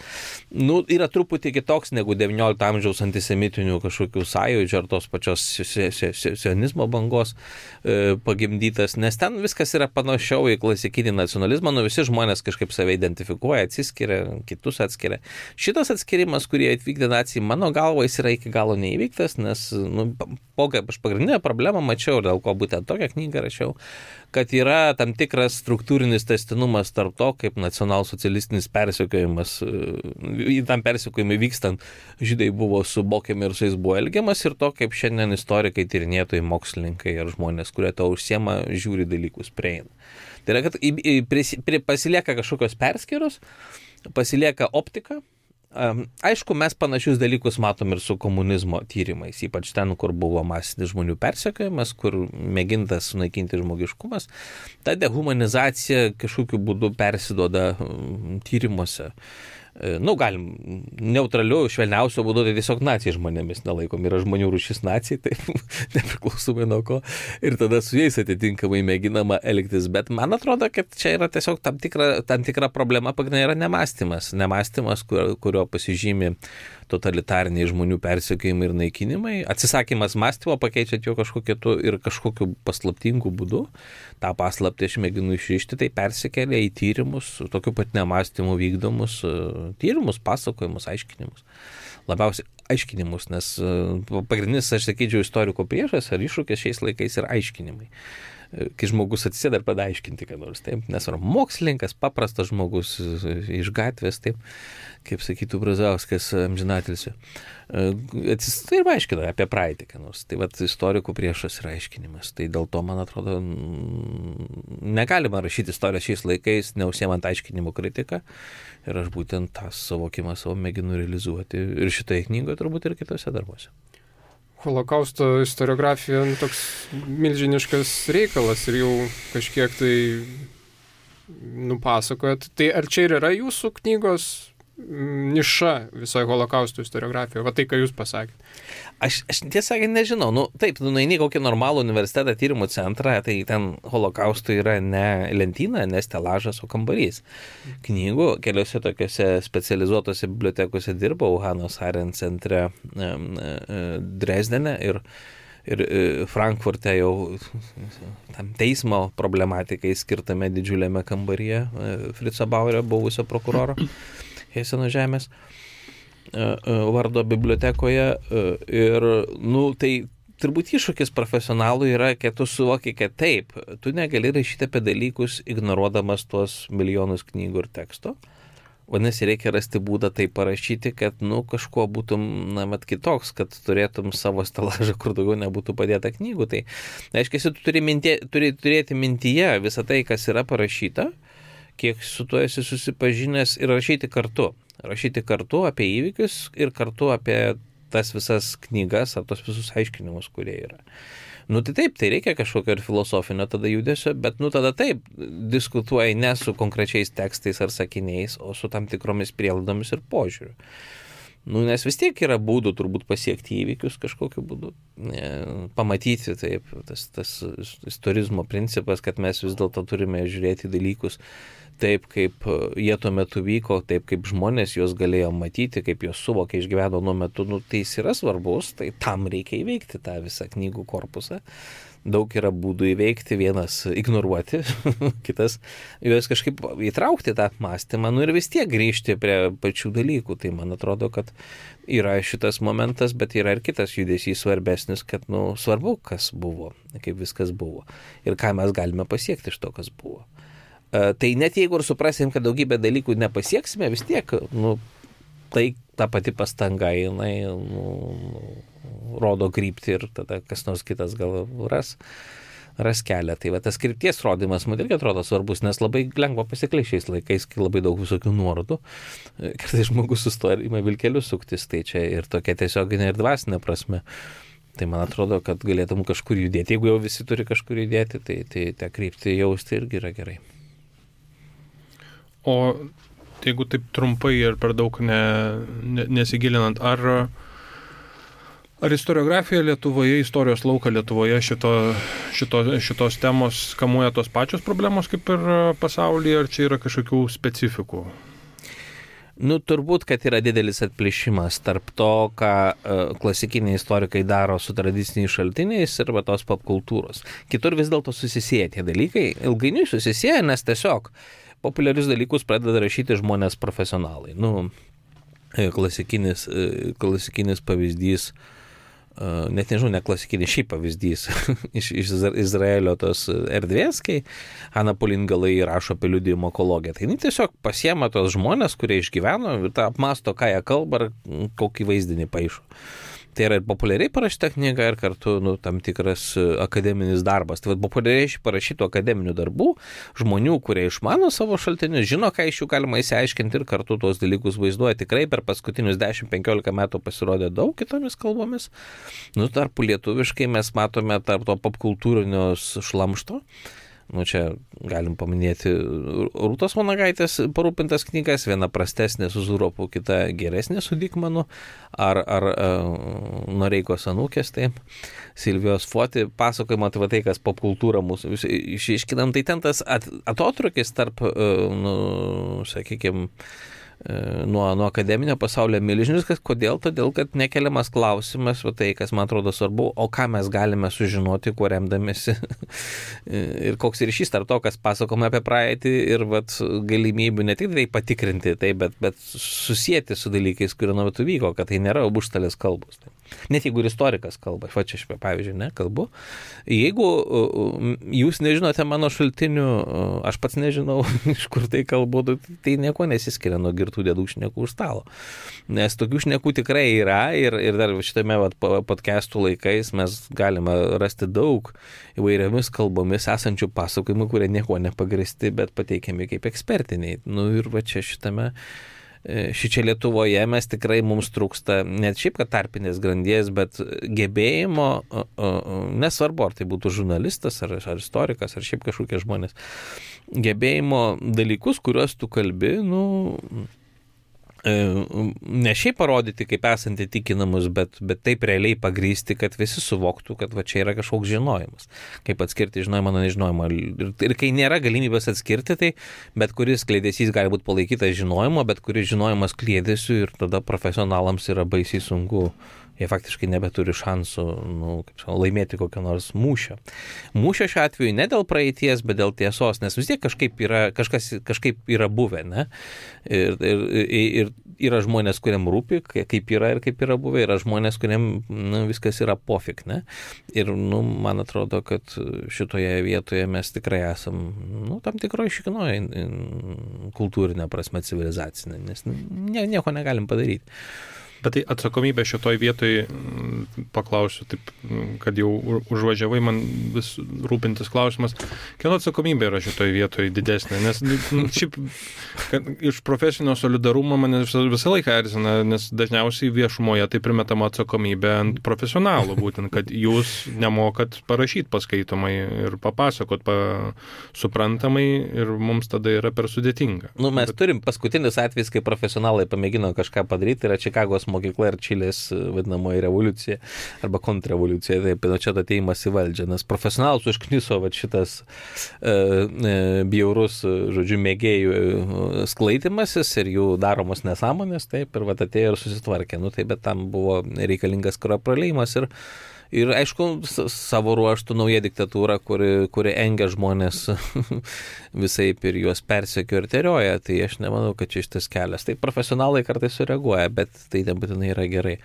nu, yra truputį kitoks negu devyniolikto amžiaus antisemitinių kažkokių sąjūdžių ar tos pačios sionizmo bangos pagimdytas, nes ten viskas yra panašiau į klasikinį nacionalizmą, nu visi žmonės kažkaip save identifikuoja, atsiskiria, kitus atskiria. Šitas atskirimas, kurį atvykdė nacijai, mano galva, jis yra iki galo neįvyktas, nes, nu, aš pagrindinę problemą mačiau, dėl ko būtent tokią knygą rašiau, kad yra tam tikras struktūrinis tęstinumas tarp to, kaip nacionalsocialistinis persekiojimas, į tam persekiojimui vykstant, žydai buvo subokiami ir su jais buvo elgiamas, ir to, kaip šiandien istorikai, tyrinėtojai, mokslininkai ar žmonės, kurie to užsiema, žiūri dalykus prieina. Tai yra, kad pasilieka kažkokios perskyros, pasilieka optika, Aišku, mes panašius dalykus matom ir su komunizmo tyrimais, ypač ten, kur buvo masinis žmonių persekiojimas, kur mėgintas sunaikinti žmogiškumas. Ta dehumanizacija kažkokiu būdu persiduoda tyrimuose. Nu, galim neutraliu, švelniausio būdu, tai tiesiog nacijai žmonėmis nelaikom. Yra žmonių rūšis nacijai, tai nepriklausomai nuo ko. Ir tada su jais atitinkamai mėginama elgtis. Bet man atrodo, kad čia yra tiesiog tam tikra, tam tikra problema, pagrindinė yra nemąstymas. Nemąstymas, kur, kurio pasižymi totalitariniai žmonių persekiojimai ir naikinimai. Atsisakymas mąstymo pakeičiant jo kažkokiu ir kažkokiu paslaptingu būdu. Ta paslaptį aš mėginu išrišti, tai persikelia į tyrimus, tokiu pat nemąstymu vykdomus tyrimus, pasakojimus, aiškinimus. Labiausiai aiškinimus, nes pagrindinis, aš sakyčiau, istoriko priešas ar iššūkis šiais laikais yra aiškinimai. Kai žmogus atsisėda ir pradeda aiškinti, ką nors, taip, nes yra mokslininkas, paprastas žmogus iš gatvės, taip, kaip sakytų Brazauskas amžinatilsio. Atsisėda ir aiškina apie praeitį, ką nors. Tai vat istorikų priešas yra aiškinimas. Tai dėl to, man atrodo, negalima rašyti istorijos šiais laikais, neužsiemant aiškinimų kritiką. Ir aš būtent tą suvokimą savo mėginu realizuoti ir šitoje knygoje, turbūt ir kitose darbuose. Holokausto istoriografija nu, toks milžiniškas reikalas ir jau kažkiek tai nupasakojat. Tai ar čia ir yra jūsų knygos niša visoje holokausto istoriografijoje? Va tai, ką jūs pasakėte. Aš, aš tiesą nežinau. Nu, taip, nu, nueini kokį normalų universitetą tyrimų centrą, tai ten holokausto yra ne lentyna, ne stelažas, o kambarys. Knygų keliose tokiuose specializuotose bibliotekose dirbau, Hanos Arendt centre Dresdene ir Ir Frankfurte jau tam teismo problematikai skirtame didžiuliame kambaryje Fritzo Bauerio, buvusio prokuroro Heseno žemės vardo bibliotekoje. Ir, nu, tai turbūt iššūkis profesionalų yra, kad tu suvoki, kad taip, tu negali rašyti apie dalykus ignoruodamas tuos milijonus knygų ir teksto. Vadinasi, reikia rasti būdą tai parašyti, kad, nu, kažkuo būtum, na, mat kitoks, kad turėtum savo stelažą, kur daugiau nebūtų padėta knygų. Tai, aiškiai, tu turi, mintie, turi turėti mintyje visą tai, kas yra parašyta, kiek su tuo esi susipažinęs ir rašyti kartu. Rašyti kartu apie įvykius ir kartu apie tas visas knygas ar tos visus aiškinimus, kurie yra. Nu tai taip, tai reikia kažkokio ir filosofinio tada judesio, bet nu tada taip, diskutuoji ne su konkrečiais tekstais ar sakiniais, o su tam tikromis prielaidomis ir požiūriu. Nu, nes vis tiek yra būdų turbūt pasiekti įvykius kažkokiu būdu, pamatyti taip, tas, tas istorizmo principas, kad mes vis dėlto turime žiūrėti dalykus taip, kaip jie tuo metu vyko, taip, kaip žmonės juos galėjo matyti, kaip juos suvokė, išgyveno nuo metu, nu, tai jis yra svarbus, tai tam reikia įveikti tą visą knygų korpusą. Daug yra būdų įveikti, vienas ignoruoti, kitas juos kažkaip įtraukti tą mąstymą, nu ir vis tiek grįžti prie pačių dalykų. Tai man atrodo, kad yra šitas momentas, bet yra ir kitas judesys svarbesnis, kad, nu, svarbu, kas buvo, kaip viskas buvo ir ką mes galime pasiekti iš to, kas buvo. Tai net jeigu ir suprasim, kad daugybę dalykų nepasieksime, vis tiek, nu, tai ta pati pastanga, jinai, nu, rodo kryptį ir tada kas nors kitas gal ras, ras kelią. Tai va, tas krypties rodymas man irgi atrodo svarbus, nes labai lengva pasiklysti šiais laikais, kai labai daug visokių nuorodų. Kartais žmogus sustoja ir ima vilkelius suktis, tai čia ir tokia tiesioginė ir dvasinė prasme. Tai man atrodo, kad galėtum kažkur judėti. Jeigu jau visi turi kažkur judėti, tai, tai tą kryptį jausti irgi yra gerai. O jeigu taip trumpai ir per daug ne, ne, nesigilinant, ar, ar istoriografija Lietuvoje, istorijos lauką Lietuvoje šito, šito, šitos temos kamuoja tos pačios problemos kaip ir pasaulyje, ar čia yra kažkokių specifikų? Nu, turbūt, kad yra didelis atplėšimas tarp to, ką uh, klasikiniai istorikai daro su tradiciniais šaltiniais ir va tos popkultūros. Kitur vis dėlto susisieja tie dalykai, ilgainiui susisieja, nes tiesiog populiarius dalykus pradeda rašyti žmonės profesionalai. Nu, klasikinis, klasikinis pavyzdys, net nežinau, ne klasikinis, šiaip pavyzdys iš, iš Izraelio tos erdvės, kai Ana Polingalai rašo apie liudijimo ekologiją. Tai jis tiesiog pasiema tos žmonės, kurie išgyveno, ir tą apmasto, ką jie kalba, ar kokį vaizdinį paišo. Tai yra ir populiariai parašyta knyga, ir kartu nu, tam tikras akademinis darbas. Tai va, populiariai parašytų akademinių darbų, žmonių, kurie išmano savo šaltinius, žino, ką iš jų galima įsiaiškinti ir kartu tuos dalykus vaizduoja. Tikrai per paskutinius dešimt penkiolika metų pasirodė daug kitomis kalbomis. Nu, tarpu lietuviškai mes matome tarp to popkultūrinio šlamšto. Nu, čia galim paminėti Rūtos Vanagaitės parūpintas knygas, viena prastesnė su Zuropu, kita geresnė su Dikmanu, ar, ar uh, Noreikos anūkės, taip, Silvijos Foti pasakojimo, tai va tai, kas popkultūra mūsų išiškinam, tai ten tas at, atotrukis tarp, uh, nu, sakykime, Nuo, nuo akademinio pasaulio milžiniškas. Kodėl? Todėl, kad nekeliamas klausimas, va tai, kas man atrodo svarbu, o ką mes galime sužinoti, kuo remdamėsi ir koks ryšys tarp to, kas pasakoma apie praeitį ir vat, galimybių ne tik tai patikrinti, tai, bet, bet susijęti su dalykais, kurie nuo metų vyko, kad tai nėra užstalės kalbos. Tai. Net jeigu ir istorikas kalba, va čia aš pavyzdžiui, ne, kalbu. Jeigu jūs nežinote mano šaltinių, aš pats nežinau, iš kur tai kalbu, tai nieko nesiskiria nuo girtų dėdų šnekų už stalo. Nes tokių šnekų tikrai yra ir, ir dar šitame vat, podcastų laikais mes galime rasti daug įvairiomis kalbomis esančių pasakojimų, kurie nieko nepagristi, bet pateikiami kaip ekspertiniai. Nu ir va čia šitame Šičia Lietuvoje mes tikrai mums trūksta net šiaip, kad tarpinės grandies, bet gebėjimo, nesvarbu, ar tai būtų žurnalistas, ar, ar istorikas, ar šiaip kažkokie žmonės, gebėjimo dalykus, kuriuos tu kalbi, nu, ne šiaip parodyti, kaip esant įtikinamus, bet, bet taip realiai pagrysti, kad visi suvoktų, kad va čia yra kažkoks žinojimas. Kaip atskirti žinojimą nuo nežinojimo. Ir, ir kai nėra galimybės atskirti, tai bet kuris kliedesys gali būti palaikytas žinojimo, bet kuris žinojimas kliedesiu ir tada profesionalams yra baisiai sunku. Jie faktiškai nebeturi šansų nu, kaip sakau, laimėti kokią nors mūšio. Mūšio šiuo atveju ne dėl praeities, bet dėl tiesos, nes vis tiek kažkaip yra, kažkas kažkaip yra buvę, ne? Ir, ir, ir yra žmonės, kuriam rūpi, kaip yra ir kaip yra buvę, yra žmonės, kuriam nu, viskas yra pofik, ne? Ir nu, man atrodo, kad šitoje vietoje mes tikrai esam nu, tam tikroje šikinoje kultūrinė prasme civilizacinė, nes ne, nieko negalim padaryti. Bet tai atsakomybė šitoj vietoj, paklausiu, taip, kad jau užvažiavai man vis rūpintis klausimas, kieno atsakomybė yra šitoj vietoj didesnė, nes šiaip iš profesinio solidarumo mane visą laiką erzina, nes dažniausiai viešumoje tai primetama atsakomybė ant profesionalų, būtent, kad jūs nemokat parašyti paskaitomai ir papasakot pa, suprantamai ir mums tada yra per sudėtinga. Nu, mes Bet... turim paskutinis atvejs, kai profesionalai pamėgino kažką padaryti, yra Čikagos mokykla ir Čilės vadinamoji revoliucija arba kontrrevoliucija, taip, nu čia ateimas į valdžią, nes profesionalus užkniso va, šitas e, e, bjaurus, žodžiu, mėgėjų sklaidimasis ir jų daromos nesąmonės, taip, ir va atėjo ir susitvarkė, nu taip, bet tam buvo reikalingas kraujo praleimas ir Ir aišku, savo ruoštų nauja diktatūra, kuri, kuri engia žmonės visaip ir juos persekio ir terioja, tai aš nemanau, kad čia šitas kelias. Tai profesionalai kartais sureaguoja, bet tai nebūtinai yra gerai.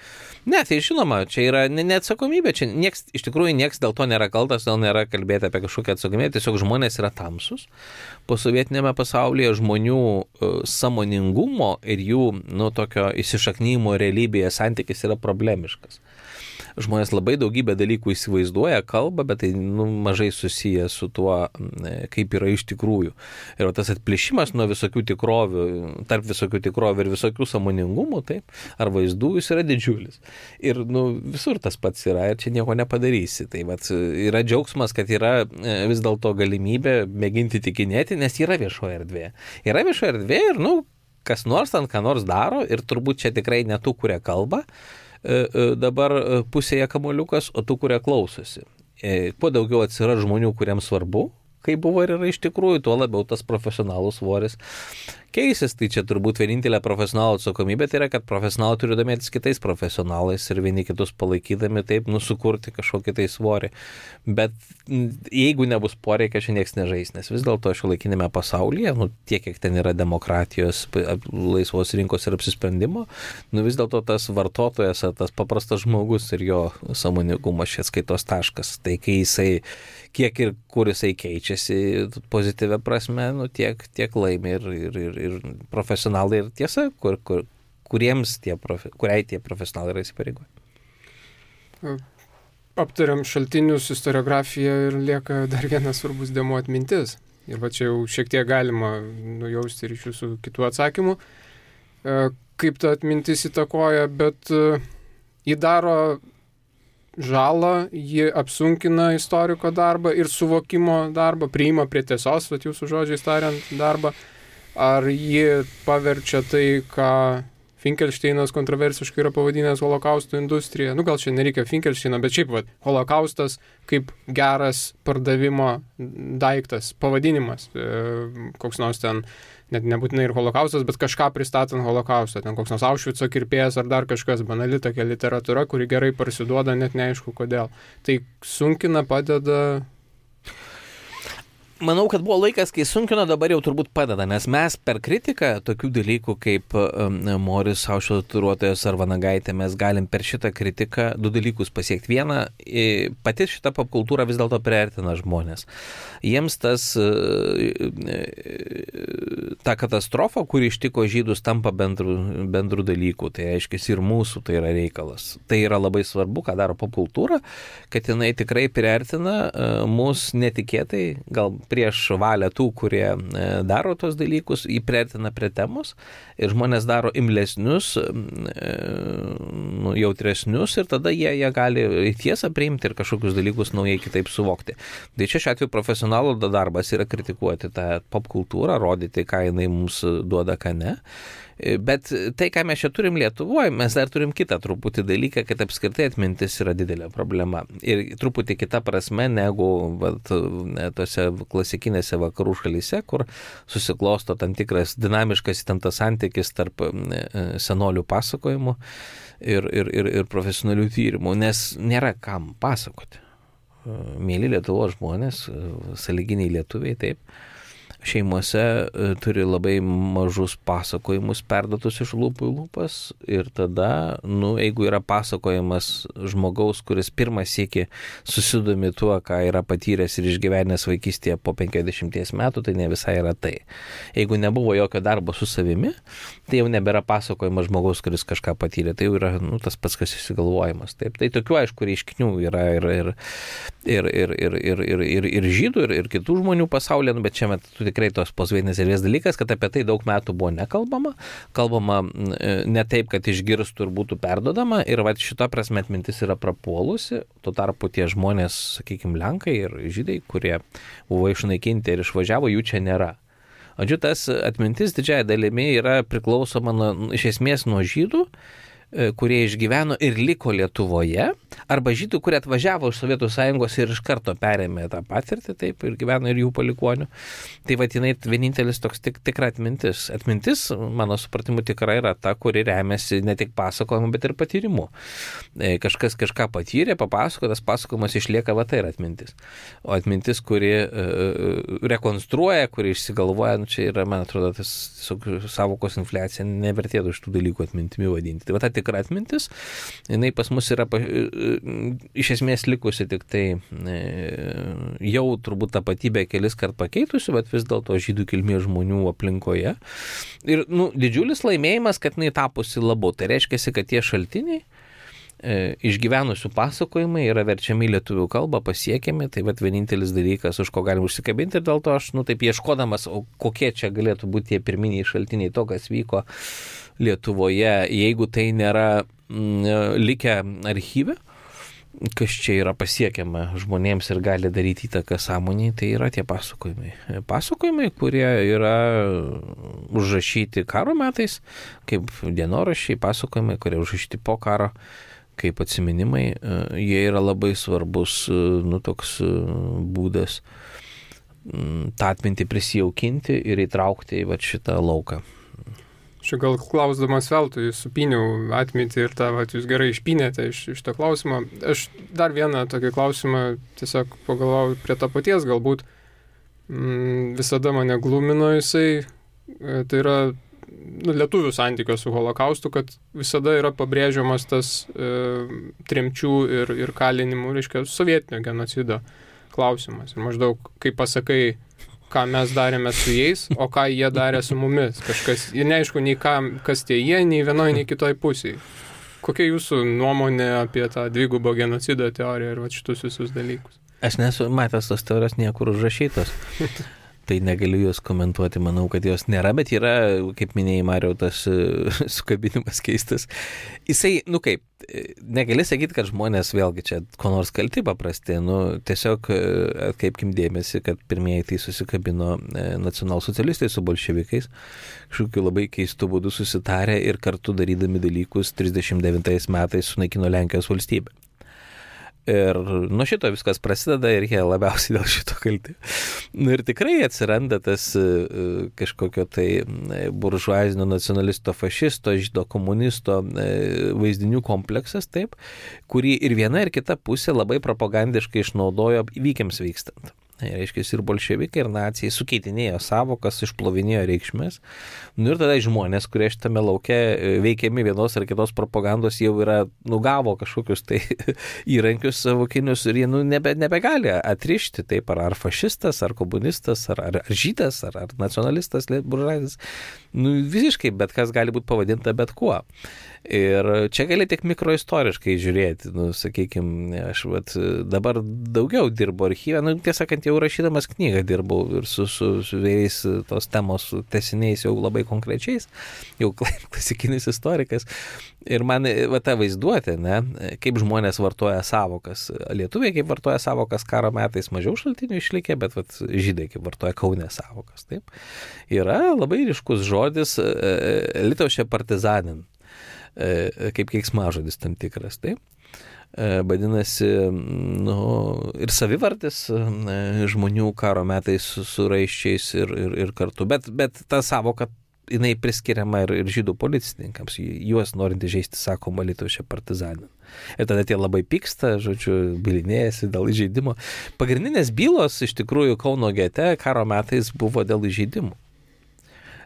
Ne, tai žinoma, čia yra neatsakomybė, čia nieks, iš tikrųjų nieks dėl to nėra kaltas, dėl nėra kalbėti apie kažkokią atsakomybę, tiesiog žmonės yra tamsus. Po sovietinėme pasaulyje žmonių sąmoningumo ir jų, nu, tokio įsišaknymo realybėje santykis yra problemiškas. Žmonės labai daugybę dalykų įsivaizduoja, kalba, bet tai nu, mažai susiję su tuo, kaip yra iš tikrųjų. Ir tas atplėšimas nuo visokių tikrovių, tarp visokių tikrovių ir visokių sąmoningumų, taip, ar vaizdų, jis yra didžiulis. Ir nu, visur tas pats yra ir čia nieko nepadarysi. Tai vat, yra džiaugsmas, kad yra vis dėlto galimybė mėginti tikinėti, nes yra viešoje erdvėje. Yra viešoje erdvėje ir nu, kas nors ten ką nors daro ir turbūt čia tikrai ne tų, kurie kalba. Dabar pusėje kamuoliukas, o tų, kurie klausosi. Kuo daugiau atsiras žmonių, kuriems svarbu, kaip buvo ir yra iš tikrųjų, tuo labiau tas profesionalų svoris keisis. Tai čia turbūt vienintelė profesionalų atsakomybė tai yra, kad profesionalai turi domėtis kitais profesionalais ir vieni kitus palaikydami taip nusukurti kažkokį tai svorį. Bet jeigu nebus poreikio, čia nieks nežais, nes vis dėlto šiuolaikinėme pasaulyje, nu, tiek, kiek ten yra demokratijos, laisvos rinkos ir apsisprendimo, nu, vis dėlto tas vartotojas, tas paprastas žmogus ir jo sąmoningumas čia skaitos taškas. Tai kai jisai, kiek ir kur jisai keičiasi pozityvia prasme, nu, tiek, tiek laimi ir, ir, ir, ir profesionalai ir tiesa, kur, kur, kuriems tie, profe, kuriai tie profesionalai yra įsipareigoję. aptariam šaltinius, istoriografiją ir lieka dar vienas svarbus dėmuo atmintis. Ir va čia jau šiek tiek galima nujausti ryšių su kitų atsakymų, kaip ta atmintis įtakoja, bet ji daro žalą, ji apsunkina istoriko darbą ir suvokimo darbą, priima prie tiesos, vat jūsų žodžiais tariant, darbą, ar ji paverčia tai, ką Finkelšteinas kontroversiškai yra pavadinęs holokausto industrija. Nu, gal čia nereikia Finkelšteino, bet šiaip, vat, holokaustas kaip geras pardavimo daiktas, pavadinimas. E, koks nors ten, net nebūtinai ir holokaustas, bet kažką pristatant holokaustą. Ten koks nors Aušvico kirpėjas ar dar kažkas, banali tokia literatūra, kuri gerai parsiduoda, net neaišku kodėl. Tai sunkina, padeda... Manau, kad buvo laikas, kai sunkino, dabar jau turbūt padeda, nes mes per kritiką tokių dalykų kaip um, Moris, Aušvico tatuiruotojas ar Vanagaitė, mes galim per šitą kritiką du dalykus pasiekti. Viena, pati šita popkultūra vis dėlto priartina žmonės. Jiems tas, ta katastrofa, kuri ištiko žydus, tampa bendrų, bendrų dalykų. Tai aiškiai ir mūsų tai yra reikalas. Tai yra labai svarbu, ką daro popkultūra, kad jinai tikrai priartina mus netikėtai, gal prieš valią tų, kurie daro tos dalykus, jį priartina prie temos ir žmonės daro imlesnius, nu, jautresnius ir tada jie, jie gali tiesą priimti ir kažkokius dalykus naujai kitaip suvokti. Tai čia šiuo atveju profesionalų darbas yra kritikuoti tą popkultūrą, rodyti, ką jinai mums duoda, ką ne. Bet tai, ką mes čia turim Lietuvoje, mes dar turim kitą truputį dalyką, kad apskritai atmintis yra didelė problema. Ir truputį kita prasme negu vat, tose klasikinėse vakarų šalyse, kur susiklosto tam tikras dinamiškas įtemptas santykis tarp senolių pasakojimų ir, ir, ir, ir profesionalių tyrimų, nes nėra kam pasakoti. Mėly Lietuvos žmonės, sąlyginiai lietuviai, taip, šeimose turi labai mažus pasakojimus perduotus iš lūpų į lūpas ir tada, nu, jeigu yra pasakojimas žmogaus, kuris pirmą sykį susidomi tuo, ką yra patyręs ir išgyvenęs vaikystėje po penkiasdešimties metų, tai ne visai yra tai. Jeigu nebuvo jokio darbo su savimi, tai jau nebėra pasakojimas žmogaus, kuris kažką patyrė, tai jau yra, nu, tas pats, kas įsigalvojimas. Taip, tai tokių, aišku, reiškinių yra ir, ir, ir, ir, ir, ir, ir, ir, ir žydų, ir, ir kitų žmonių pasaulyje, nu, bet čia met, tikrai tos posvietinės erdvės dalykas, kad apie tai daug metų buvo nekalbama, kalbama ne taip, kad išgirstų ir būtų perdodama ir va šito prasme atmintis yra prapuolusi, tuo tarpu tie žmonės, sakykime, Lenkai ir Žydai, kurie buvo išnaikinti ir išvažiavo, jų čia nėra. O šitas atmintis didžiąją dalimi yra priklausoma nuo, iš esmės nuo žydų, kurie išgyveno ir liko Lietuvoje, arba žydų, kurie atvažiavo iš Sovietų Sąjungos ir iš karto perėmė tą patirtį, taip, ir gyveno ir jų palikuonių. Tai vadinai vienintelis toks tik, tikra atmintis. Atmintis, mano supratimu, tikrai yra ta, kuri remiasi ne tik pasakojimu, bet ir patyrimu. Kažkas kažką patyrė, papasako, tas pasakojimas išlieka, va tai yra atmintis. O atmintis, kuri uh, rekonstruoja, kuri išsigalvoja, nu, čia yra, man atrodo, tas savokos infliacija, nevertėtų iš tų dalykų atmintimi vadinti. Tai va ta tikra atmintis, jinai pas mus yra iš esmės likusi tik tai jau turbūt tapatybę kelis kart pakeitusi, bet vis dėlto žydų kilmės žmonių aplinkoje. Ir nu, didžiulis laimėjimas, kad jinai tapusi labiau. Tai reiškia, kad tie šaltiniai išgyvenusių pasakojimai yra verčiami į lietuvių kalbą, pasiekiami, tai vat vienintelis dalykas, už ko galim užsikabinti ir dėl to aš, nu taip ieškodamas, o kokie čia galėtų būti tie pirminiai šaltiniai to, kas vyko Lietuvoje, jeigu tai nėra mm, likę archyve, kas čia yra pasiekiama žmonėms ir gali daryti įtaką sąmoniai, tai yra tie pasakojimai. Pasakojimai, kurie yra užrašyti karo metais, kaip dienoraščiai, pasakojimai, kurie užrašyti po karo, kaip atsiminimai, jie yra labai svarbus, nu, toks būdas tą atmintį prisijaukinti ir įtraukti į va, šitą lauką. Čia gal klausdamas veltui supyniau atmintį ir tą, vat, jūs gerai išpynėte iš, iš to klausimo. Aš dar vieną tokį klausimą tiesiog pagalvojau prie to paties, galbūt mm, visada mane glumino jisai, tai yra nu, lietuvių santykio su holokaustu, kad visada yra pabrėžiamas tas e, tremčių ir, ir kalinimų, reiškia, sovietinio genocido klausimas. Ir maždaug, kai pasakai, ką mes darėme su jais, o ką jie darė su mumis. Kažkas, ir neaišku, nei kam, kas tie jie, nei vienoje, nei kitoje pusėje. Kokia jūsų nuomonė apie tą dvigubo genocido teoriją ir va šitus visus dalykus? Aš nesu matęs tos teorijos niekur užrašytos. Tai negaliu jos komentuoti, manau, kad jos nėra, bet yra, kaip minėjai, Mariau, tas sukabinimas keistas. Jisai, nu kaip, negali sakyti, kad žmonės vėlgi čia ko nors kalti paprasti, nu tiesiog atkreipkim dėmesį, kad pirmieji tai susikabino nacionalsocialistai su bolševikais, kažkokiu labai keistų būdų susitarę ir kartu darydami dalykus trisdešimt devintais metais sunaikino Lenkijos valstybę. Ir nuo šito viskas prasideda ir jie labiausiai dėl šito kalti. Nu ir tikrai atsiranda tas uh, kažkokio tai buržuazinio nacionalisto, fašisto, žydo komunisto uh, vaizdinių kompleksas, taip, kurį ir viena ir kita pusė labai propagandiškai išnaudojo įvykiams vykstant. Reiškia, ir bolševikai, ir nacijai sukeitinėjo savokas, išplovinėjo reikšmės. Nu ir tada žmonės, kurie šitame lauke veikiami vienos ar kitos propagandos, jau yra nugavo kažkokius tai įrankius savokinius ir jie nu, nebe, nebegali atrišti taip, ar, ar fašistas, ar komunistas, ar, ar, ar žydas, ar, ar nacionalistas, buržuazis. Nu, visiškai bet kas gali būti pavadinta bet kuo. Ir čia gali tik mikroistoriškai žiūrėti, nu, sakykime, aš vat, dabar daugiau dirbu archyve, nu, tiesą sakant, jau rašydamas knygą dirbau ir su, su, su vėjais tos temos tesiniais jau labai konkrečiais, jau klasikinis istorikas. Ir man va, ta vaizduotė, ne, kaip žmonės vartoja savokas. Lietuviai kaip vartoja savokas karo metais, mažiau šaltinių išlikė, bet vat, žydai kaip vartoja Kaune savokas. Taip. Yra labai ryškus žodis Lietuvos partizanin, kaip keiksmažodis tam tikras, taip. Vadinasi, nu, ir savivardis žmonių karo metais su, su raiščiais ir, ir, ir kartu, bet, bet ta savoka, jinai priskiriama ir, ir žydų policininkams, juos norint įžeisti, sakoma, Lietuvos partizanin. Ir tada tie labai pyksta, žodžiu, bylinėjasi dėl įžeidimo. Pagrindinės bylos iš tikrųjų Kauno gete karo metais buvo dėl įžeidimų.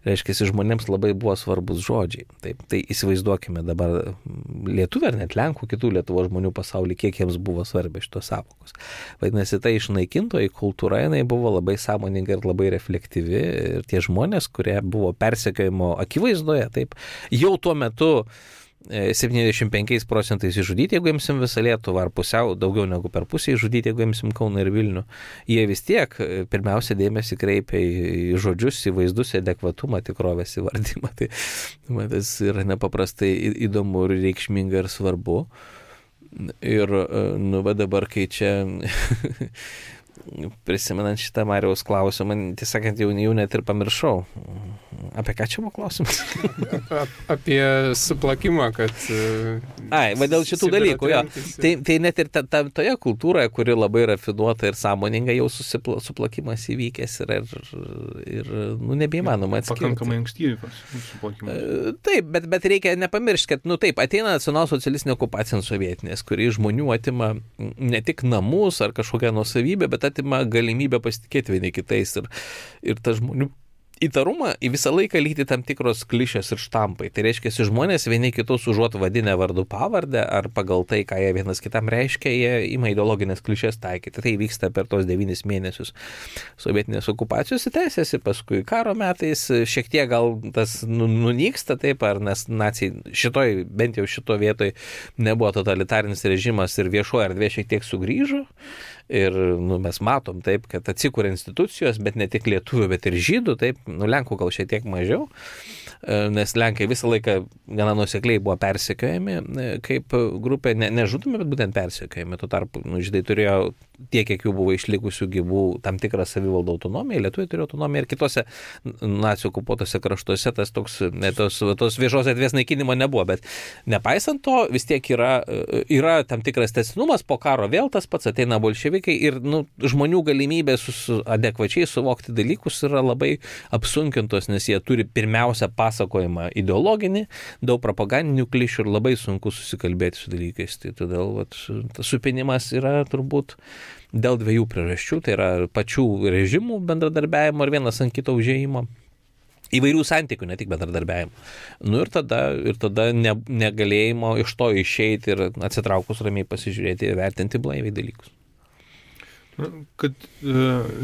Reiškia, žmonėms labai buvo svarbus žodžiai. Taip, tai įsivaizduokime dabar lietuvių ar net lenkų, kitų Lietuvos žmonių pasaulyje, kiek jiems buvo svarbi šitos savokos. Vadinasi, ta išnaikintoji kultūra, jinai buvo labai sąmoninga ir labai reflektyvi. Ir tie žmonės, kurie buvo persekiojimo akivaizdoje, taip, jau tuo metu septyniasdešimt penkiais procentais išžudyti, jeigu imsim visą Lietuvą, ar pusiau, daugiau negu per pusę išžudyti, jeigu imsim Kauną ir Vilnių. Jie vis tiek pirmiausia dėmesį kreipia į žodžius, į vaizdus, į adekvatumą, tikrovės įvardymą. Tai man tas yra nepaprastai įdomu ir reikšminga ir svarbu. Ir, nu, va dabar, kai čia prisimenant šitą Mariaus klausimą, tiesąkant, jau, jau net ir pamiršau. Apie ką čia buvo klausimas? Apie suplakimą, kad... Ai, va dėl šitų dalykų, jo. Tai, tai net ir ta, ta, toje kultūroje, kuri labai rafinuota ir sąmoninga, jau susipla, suplakimas įvykęs ir, ir, ir nu, nebeįmanoma atskirti. Pakankamai ankstyvas suplakimas. Taip, bet, bet reikia nepamiršti, kad, nu taip, ateina nacionalsocialistinė okupacija sovietinės, kuri žmonių atima ne tik namus ar kažkokią nuosavybę, bet atima galimybę pasitikėti vieni kitais ir, ir ta žmonių įtarumą į visą laiką lygti tam tikros klišės ir štampai. Tai reiškia, žmonės vieni kitus užuot vadinę vardu pavardę ar pagal tai, ką jie vienas kitam reiškia, jie ima ideologinės klišės taikyti. Tai vyksta per tos devynis mėnesius sovietinės okupacijos tęsiasi, paskui karo metais šiek tiek gal tas nunyksta, taip, ar nes nacijai šitoj, bent jau šito vietoj nebuvo totalitarinis režimas ir viešoji erdvė šiek tiek sugrįžo. Ir nu, mes matom taip, kad atsikuria institucijos, bet ne tik lietuvių, bet ir žydų, taip, nu, lenkų gal šiek tiek mažiau, nes lenkai visą laiką gana nuosekliai buvo persekiojami kaip grupė, ne, nežudomi, bet būtent persekiojami. Tuo tarpu nu, žydai turėjo tiek, kiek jų buvo išlikusių gyvų, tam tikrą savivaldą autonomiją, lietuviai turėjo autonomiją ir kitose nacijų okupuotose kraštuose tas toks, ne, tos, tos viešos erdvės naikinimo nebuvo, bet nepaisant to vis tiek yra, yra tam tikras tęstinumas, po karo vėl tas pats ateina bolševikai ir nu, žmonių galimybė su adekvačiai suvokti dalykus yra labai apsunkintos, nes jie turi pirmiausia pasakojimą ideologinį, daug propagandinių klišių ir labai sunku susikalbėti su dalykais. Tai todėl vat, tas supinimas yra turbūt dėl dviejų priežasčių, tai yra pačių režimų bendradarbiavimo ir vienas ant kito užėjimo. Įvairių santykių, ne tik bendradarbiavimo. Nu ir tada, ir tada ne, negalėjimo iš to išeiti ir atsitraukus ramiai pasižiūrėti ir vertinti blaiviai dalykus. Kad e,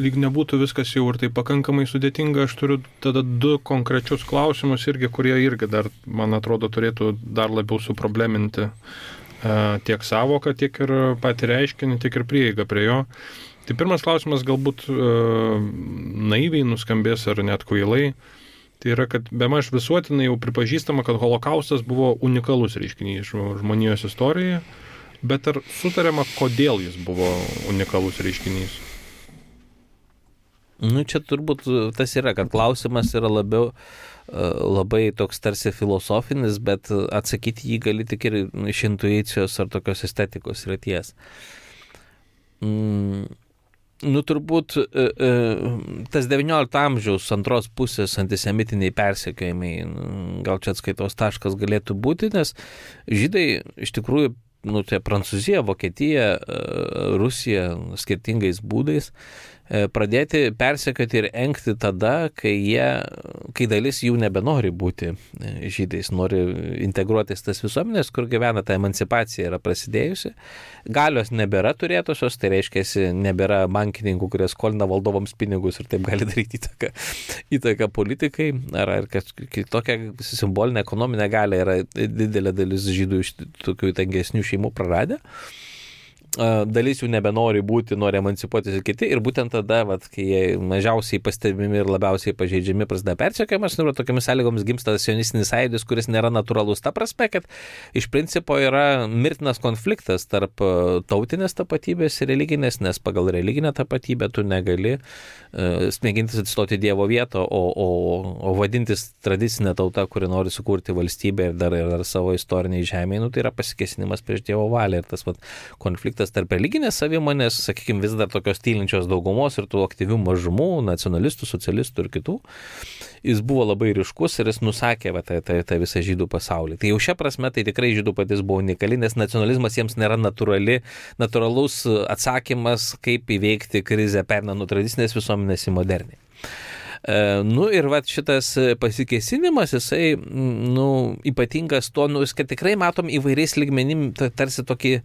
lyg nebūtų viskas jau ir tai pakankamai sudėtinga, aš turiu tada du konkrečius klausimus irgi, kurie irgi dar, man atrodo, turėtų dar labiau suprobleminti e, tiek savoką, tiek ir patį reiškinį, tiek ir prieigą prie jo. Tai pirmas klausimas galbūt e, naiviai nuskambės ar net kvailai. Tai yra, kad bemaž visuotinai jau pripažįstama, kad holokaustas buvo unikalus reiškinys žmonijos istorijoje. Bet ar sutariama, kodėl jis buvo unikalus reiškinys? Nu, čia turbūt tas yra, kad klausimas yra labiau labai toks tarsi filosofinis, bet atsakyti jį gali tik ir iš intuicijos ar tokios estetikos ryties. Mm. Nu, turbūt tas devyniolikto amžiaus antros pusės antisemitiniai persekiojimai, gal čia atskaitos taškas galėtų būti, nes žydai iš tikrųjų, nu, tai Prancūzija, Vokietija, Rusija skirtingais būdais pradėti persekioti ir engti tada, kai, jie, kai dalis jų nebenori būti žydais, nori integruotis tas visuomenės, kur gyvena, ta emancipacija yra prasidėjusi. Galios nebėra turėtusios, tai reiškia, nebėra bankininkų, kurie skolina valdovams pinigus ir taip gali daryti įtaką, įtaką politikai, ar, ar tokia simbolinė ekonominė galia yra didelė dalis žydų iš tokių tangesnių šeimų praradę. Dalis jų nebenori būti, nori emancipuotis ir kiti, ir būtent tada, vat, kai jie mažiausiai pastebimi ir labiausiai pažeidžiami, prasideda persekiojimas, ir tokiamis sąlygomis gimsta sionistinis sąjūdis, kuris nėra natūralus ta prasme, kad iš principo yra mirtinas konfliktas tarp tautinės tapatybės ir religinės, nes pagal religinę tapatybę tu negali uh, smėgintis atstoti Dievo vietą, o, o, o vadintis tradicinė tauta, kuri nori sukurti valstybę ir dar, ir dar savo istoriniai žemėje, nu, tai yra pasikėsinimas prieš Dievo valią, ir tas vat, konfliktas tarp religinės savimonės, sakykime, vis dar tokios tylinčios daugumos ir tų aktyvių mažumų, nacionalistų, socialistų ir kitų, jis buvo labai ryškus ir jis nusakė va, tą, tą, tą visą žydų pasaulį. Tai jau šią prasme tai tikrai žydų patys buvo unikali, nes nacionalizmas jiems nėra natūrali, natūralus atsakymas, kaip įveikti krizę perinant nuo tradicinės visuomenės į modernį. E, nu ir va šitas pasikėsinimas, jisai nu, ypatingas tuo, nu, kad tikrai matom įvairiais lygmenim tarsi tokį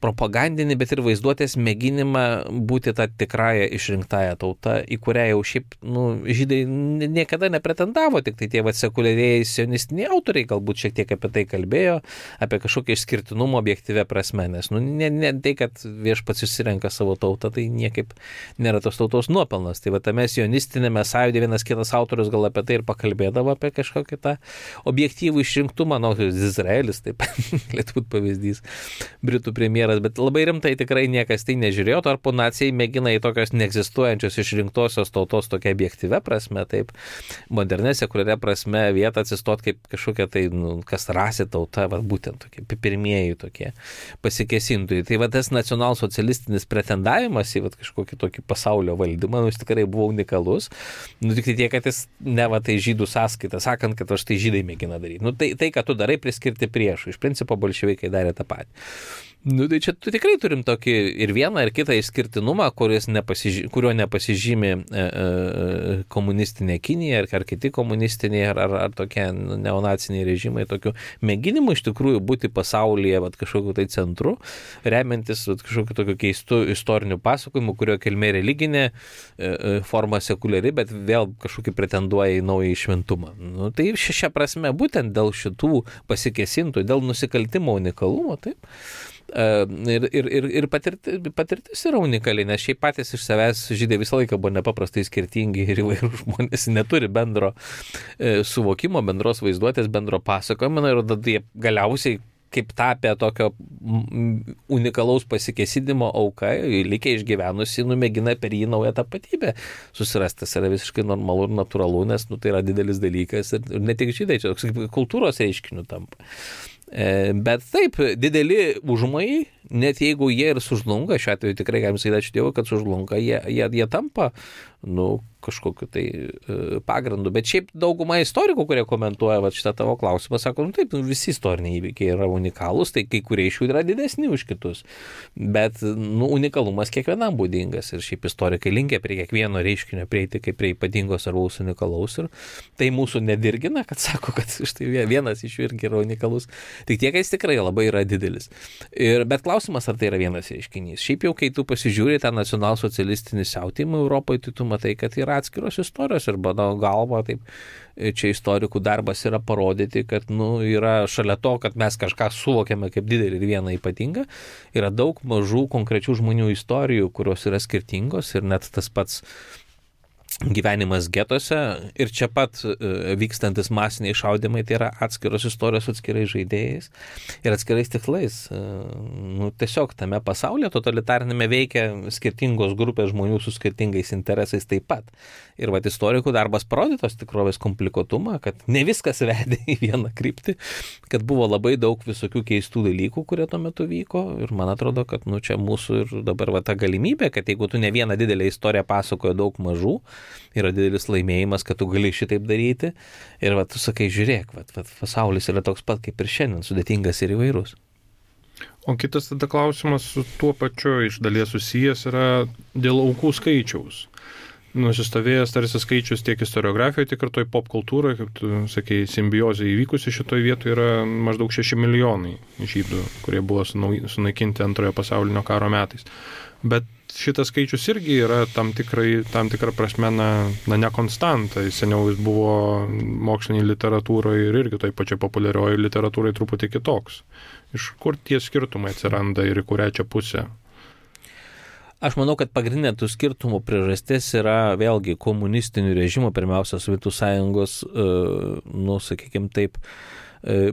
propagandinį, bet ir vaizduotės mėginimą būti tą tikrąją išrinktąją tautą, į kurią jau šiaip nu, žydai niekada nepretendavo, tik tai tie sekuliarieji sionistiniai autoriai galbūt šiek tiek apie tai kalbėjo, apie kažkokią išskirtinumą objektyvę prasme, nes nu, ne, ne tai, kad viešpats išsirenka savo tautą, tai niekaip nėra tos tautos nuopelnas. Tai va tame sionistinėme sąjūdė vienas kitas autorius gal apie tai ir pakalbėdavo, apie kažkokį tą objektyvų išrinktumą, nu, Izraelis, taip, galėtų būti pavyzdys, Britų premjeras, bet labai rimtai tikrai niekas tai nežiūrėjo, tarpu nacijai mėgina į tokios neegzistuojančios išrinktosios tautos tokia objektyvia prasme, taip, modernė sekuliaria prasme vietą atsistot kaip kažkokia tai, nu, kas rasė tauta, va, būtent tokie pirmieji tokie pasikėsintojai. Tai va tas nacionalsocialistinis pretendavimas į va, kažkokį tokį pasaulio valdymą, nu, jis tikrai buvo unikalus, nu, tik tai tiek, kad jis ne va tai žydų sąskaita, sakant, kad aš tai žydai mėgina daryti. Nu, tai, tai, ką tu darai, priskirti priešų. Iš principo bolševikai darė tą patį. Nu, tai čia tu tikrai turim tokį ir vieną, ir kitą išskirtinumą, nepasiži... kurio nepasižymi e, e, komunistinė Kinija, ar, ar kiti komunistiniai, ar, ar, ar tokie neonaciniai režimai, tokių mėginimų iš tikrųjų būti pasaulyje vat, kažkokiu tai centru, remiantis vat, kažkokiu tokiu keistu istoriniu pasakojimu, kurio kilmė religinė, e, e, forma sekuliari, bet vėl kažkokį pretenduoja į naują šventumą. Nu, tai šią prasme būtent dėl šitų pasikėsintų, dėl nusikaltimo unikalumo, taip. Ir, ir, ir, ir patirtis, patirtis yra unikali, nes šiaip patys iš savęs žydai visą laiką buvo nepaprastai skirtingi ir įvairių žmonės neturi bendro e, suvokimo, bendros vaizduotės, bendro pasakojimo ir tada jie galiausiai kaip tapę tokio unikalaus pasikėsinimo auka, likę išgyvenusi, numėgina per jį naują tapatybę susirasti. Tas yra visiškai normalu ir natūralu, nes nu, tai yra didelis dalykas ir, ir ne tik žydai, čia kultūros reiškinių tampa. Bet taip, dideli užmojai, net jeigu jie ir sužlunga, šiuo atveju tikrai galim sakyti ačiū Dievui, kad sužlunga, jie, jie, jie tampa nu, kažkokiu tai e, pagrindu. Bet šiaip dauguma istorikų, kurie komentuoja va, šitą tavo klausimą, sako, nu taip, nu, visi istoriniai įvykiai yra unikalūs, tai kai kurie iš jų yra didesni už kitus. Bet nu, unikalumas kiekvienam būdingas ir šiaip istorikai linkia prie kiekvieno reiškinio prieiti kaip prie ypatingos ar unikalaus. Ir tai mūsų nedirgina, kad sako, kad štai vienas iš jų irgi yra unikalus. Tik tiek, kad jis tikrai labai yra didelis. Ir, bet klausimas klausimas, ar tai yra vienas reiškinys. Šiaip jau, kai tu pasižiūri tą nacionalsocialistinį siautėjimą Europoje, tai tu matai, kad yra atskiros istorijos ir mano galva, taip, čia istorikų darbas yra parodyti, kad nu, yra šalia to, kad mes kažką suvokiame kaip didelį ir vieną ypatingą, yra daug mažų konkrečių žmonių istorijų, kurios yra skirtingos ir net tas pats gyvenimas getuose ir čia pat vykstantis masiniai šaudimai, tai yra atskiros istorijos atskirais žaidėjais ir atskirais tikslais. Nu, tiesiog tame pasaulyje totalitarinėme veikia skirtingos grupės žmonių su skirtingais interesais taip pat. Ir vat istorikų darbas parodė tos tikrovės komplikuotumą, kad ne viskas vedė į vieną kryptį, kad buvo labai daug visokių keistų dalykų, kurie tuo metu vyko ir man atrodo, kad nu, čia mūsų ir dabar va, ta galimybė, kad jeigu tu ne vieną didelę istoriją pasakoja daug mažų, yra didelis laimėjimas, kad tu gali šitaip daryti ir va, tu sakai, žiūrėk, va, va, pasaulis yra toks pat kaip ir šiandien, sudėtingas ir įvairus. O kitas tada klausimas su tuo pačiu iš dalies susijęs yra dėl aukų skaičiaus. Nusistovėjęs tarsi skaičius tiek istoriografijoje, tiek ir toj pop kultūroje, kaip tu sakei, simbiozė įvykusi šitoje vietoje yra maždaug šeši milijonai žydų, kurie buvo sunaikinti antrojo pasaulinio karo metais. Bet šitas skaičius irgi yra tam, tikrai, tam tikrą prasme na, na nekonstanta. Seniau jis buvo moksliniai literatūroje ir irgi toj pačiai populiarioji literatūrai truputį kitoks. Iš kur tie skirtumai atsiranda ir į kurią čia pusę? Aš manau, kad pagrindinė tų skirtumų priežastis yra vėlgi komunistinių režimų, pirmiausia, Sovietų sąjungos, nu, sakykime taip,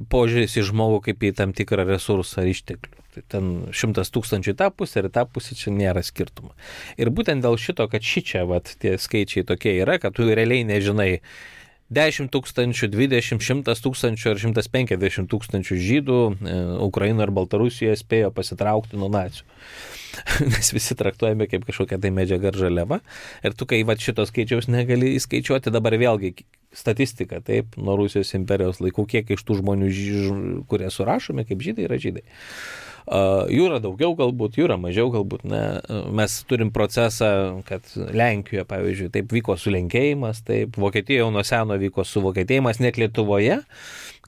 požiūris į žmogų kaip į tam tikrą resursą ar išteklių. Tai ten šimtas tūkstančių į tą pusę ir į tą pusę čia nėra skirtumo. Ir būtent dėl šito, kad šičia, vat, tie skaičiai tokie yra, kad tu realiai nežinai, dešimt tūkstančių, dvidešimt, šimtas tūkstančių ar šimtas penkiasdešimt tūkstančių žydų e, Ukrainoje ar Baltarusijoje spėjo pasitraukti nuo nacių. Nes visi traktuojame kaip kažkokia tai medžiaga ar žaliava. Ir tu, kai va, šito skaičiaus negali įskaičiuoti, dabar vėlgi statistika, taip, nuo Rusijos imperijos laikų, kiek iš tų žmonių, kurie surašomi kaip žydai, yra žydai. Uh, jų yra daugiau galbūt, jų yra mažiau galbūt. Ne. Mes turim procesą, kad Lenkijoje, pavyzdžiui, taip vyko sulenkėjimas, taip Vokietijoje jau nuo seno vyko suvokietėjimas, net Lietuvoje,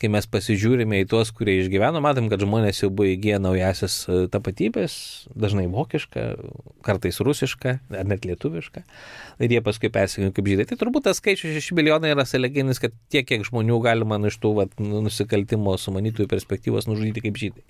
kai mes pasižiūrime į tuos, kurie išgyveno, matom, kad žmonės jau buvo įgiję naujasias tapatybės, dažnai vokišką, kartais rusišką, ar net lietuvišką, ir jie paskui persikėjo kaip žydai. Tai turbūt tas skaičius šeši milijonai yra sąlyginis, kad tiek, kiek žmonių galima iš tų vat, nusikaltimo sumanytojų perspektyvos nužudyti kaip žydai.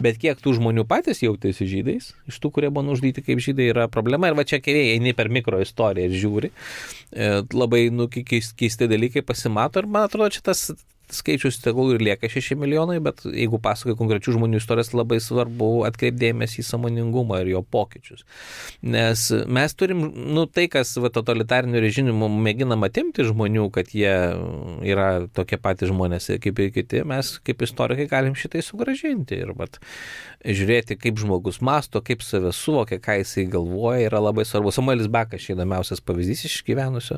Bet kiek tų žmonių patys jautėsi žydais, iš tų, kurie buvo nužudyti kaip žydai, yra problema. Ir va čia keliai eini per mikroistoriją ir žiūri, e, labai nu, keisti dalykai pasimato ir man atrodo, čia tas skaičius tegul ir lieka šeši milijonai, bet jeigu pasakoja konkrečių žmonių istorijas, labai svarbu atkreipdėmėsi į sąmoningumą ir jo pokyčius. Nes mes turim, nu tai, kas va, totalitarinių režimų mėginama atimti žmonių, kad jie yra tokie patys žmonės kaip ir kiti, mes kaip istorikai galim šitai sugrąžinti ir vat, žiūrėti, kaip žmogus masto, kaip save suvokia, ką jisai galvoja, yra labai svarbu. Samuelis Bakas čia įdomiausias pavyzdys iš gyvenusio.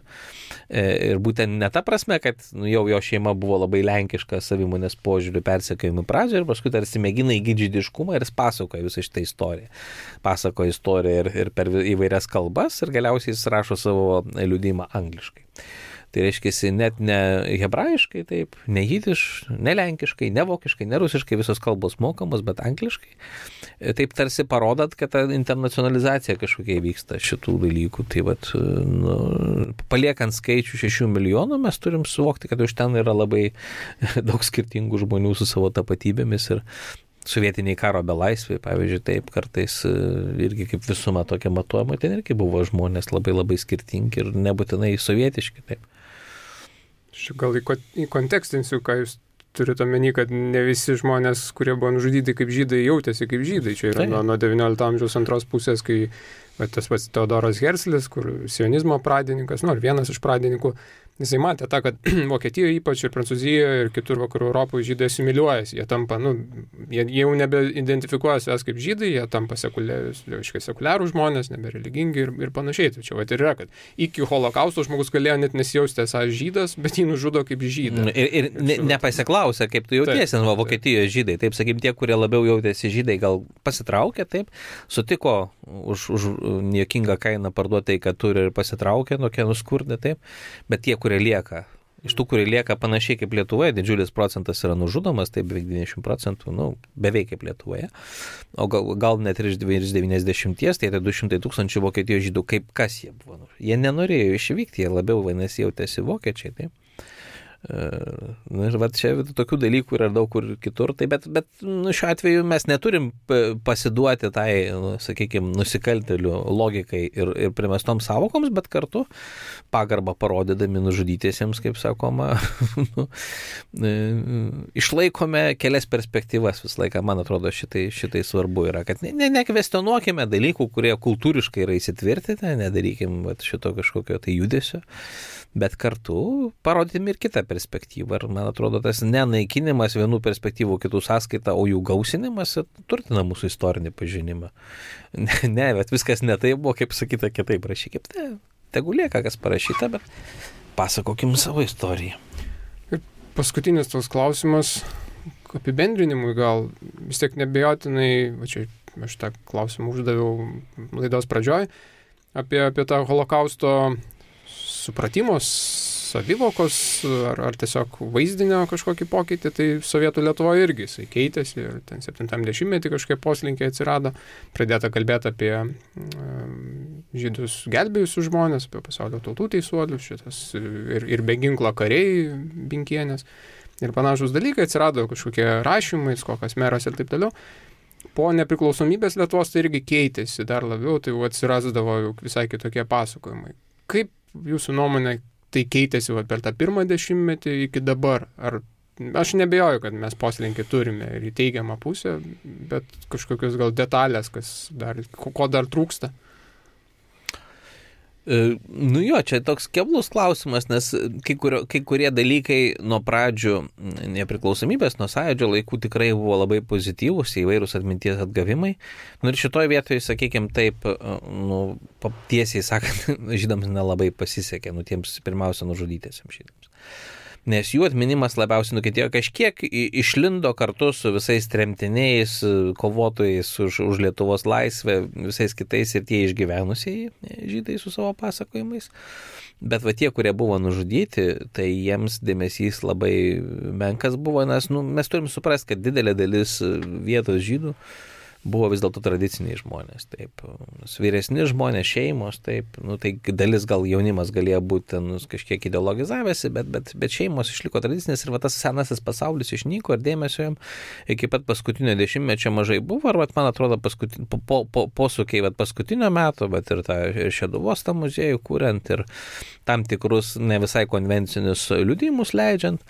Ir būtent ne ta prasme, kad nu, jau jo šeima buvo labai lenkiška savimonės požiūrių persekiojimų pradžioje ir paskui tarsi mėgina įgyti žydiškumą ir jis pasakoja visą šitą istoriją. Pasakoja istoriją ir, ir per įvairias kalbas ir galiausiai jis rašo savo liudijimą angliškai. Tai reiškia, net ne hebrajiškai, taip, ne jidiš, ne lenkiškai, ne vokiškai, ne rusiškai, visos kalbos mokamos, bet angliškai. Taip tarsi parodant, kad ta internacionalizacija kažkokia vyksta šitų dalykų. Tai vat, nu, paliekant skaičių šešių milijonų, mes turim suvokti, kad už ten yra labai daug skirtingų žmonių su savo tapatybėmis ir sovietiniai karo belaisviai, pavyzdžiui, taip kartais irgi kaip visuma tokia matuojama, ten irgi buvo žmonės labai labai skirtingi ir nebūtinai sovietiški, taip. Aš gal į kontekstinsiu, ką jūs turite omeny, kad ne visi žmonės, kurie buvo nužudyti kaip žydai, jautėsi kaip žydai. Čia yra nuo, nuo devyniolikto amžiaus antros pusės, kai va, tas pats Teodoras Herzlis, kur sionizmo pradininkas, nu, vienas iš pradininkų, jisai matė tą, kad Vokietijoje ypač ir Prancūzijoje ir kitur vakarų Europoje žydai asimiliuojasi. Jie tampa, nu, jie, jie jau nebeidentifikuoja savęs kaip žydai, jie tampa sekuliarų žmonės, nebereligingi ir, ir panašiai. Tai čia va, ir yra, kad iki holokausto žmogus galėjo net nesijausti esąs žydas, bet jį nužudo kaip žydą. Ir, ir ne, nepasiklausė, kaip tu jautiesi, taip, va, Vokietijoje žydai. Taip, sakykim, tie, kurie labiau jautėsi žydai, gal pasitraukė, taip, sutiko už, už niekingą kainą parduoti tai, kad turi ir pasitraukė, nuo kenų skurdė, taip, bet tie, kurie lieka Iš tų, kurie lieka panašiai kaip Lietuvoje, didžiulis procentas yra nužudomas, tai beveik devyniasdešimt procentų, nu, beveik kaip Lietuvoje. O gal, gal net ir iš devyniasdešimties, tai tai du šimtai tūkstančių Vokietijos žydų, kaip kas jie buvo. Jie nenorėjo išvykti, jie labiau vadinasi jautėsi vokiečiai, taip. Na ir va čia tokių dalykų yra daug kur kitur, tai bet, bet nu, šiuo atveju mes neturim pasiduoti tai, nu, sakykime, nusikaltėlių logikai ir, ir primestom savokoms, bet kartu pagarbą parodydami nužudytiesiems, kaip sakoma, nu, išlaikome kelias perspektyvas visą laiką, man atrodo, šitai, šitai svarbu yra, kad ne, ne, nekvestionuokime dalykų, kurie kultūriškai yra įsitvirtinę, nedarykim va, šito kažkokio tai judesio, bet kartu parodėm ir kitą perspektyvą. Ir man atrodo, tas nenaikinimas vienų perspektyvų kitų sąskaita, o jų gausinimas turtina mūsų istorinį pažinimą. Ne, ne, bet viskas ne taip buvo, kaip sakyta, kitaip rašykime. Ne, tegu lieka, kas parašyta, bet pasakokim savo istoriją. Ir paskutinis toks klausimas, apibendrinimui gal vis tiek nebejotinai, va čia aš tą klausimą uždaviau laidos pradžioj, apie, apie tą holokausto supratimos, savivokos ar, ar tiesiog vaizdinio kažkokį pokytį, tai Sovietų Lietuvoje irgi jisai keitėsi ir ten septintam dešimtmetį kažkaip poslinkiai atsirado, pradėta kalbėti apie um, žydus gelbėjusius žmonės, apie pasaulio tautų teisuolius, šitas ir, ir be ginklo kariai, Binkienės ir panašus dalykai, atsirado kažkokie rašymai, kokias meras ir taip toliau. Po nepriklausomybės Lietuvos tai irgi keitėsi dar labiau, tai atsirasdavo visai kitokie pasakojimai. Kaip jūsų nuomonė tai keitėsi va, per tą pirmą dešimtmetį iki dabar? Ar, aš nebejoju, kad mes poslinkį turime ir į teigiamą pusę, bet kažkokios gal detalės, kas dar, ko dar trūksta? Nu jo, čia toks keblus klausimas, nes kai, kurio, kai kurie dalykai nuo pradžių nepriklausomybės, nuo sąjūdžio laikų tikrai buvo labai pozityvūs, įvairūs atminties atgavimai. Nu ir šitoje vietoje, sakykime, taip, nu, tiesiai sakant, žydams nelabai pasisekė, nu tiems pirmiausia nužudytėsiams žydams. Nes jų atminimas labiausiai nukentėjo, kažkiek išlindo kartu su visais tremtiniais, kovotojais už, už Lietuvos laisvę, visais kitais ir tie išgyvenusiai žydai su savo pasakojimais. Bet va tie, kurie buvo nužudyti, tai jiems dėmesys labai menkas buvo, nes nu, mes turim suprasti, kad didelė dalis vietos žydų buvo vis dėlto tradiciniai žmonės, taip, vyresni žmonės, šeimos, taip, nu, tai dalis gal jaunimas galėjo būti nu, kažkiek ideologizavęsi, bet, bet, bet šeimos išliko tradicinės ir va, tas senasis pasaulis išnyko ir dėmesio jam iki pat paskutinio dešimtmečio mažai buvo, ir va, man atrodo posūkiai po, po, po, po paskutinio meto, bet ir tą Šeduvos tą muziejų kuriant ir tam tikrus ne visai konvencinius liudijimus leidžiant.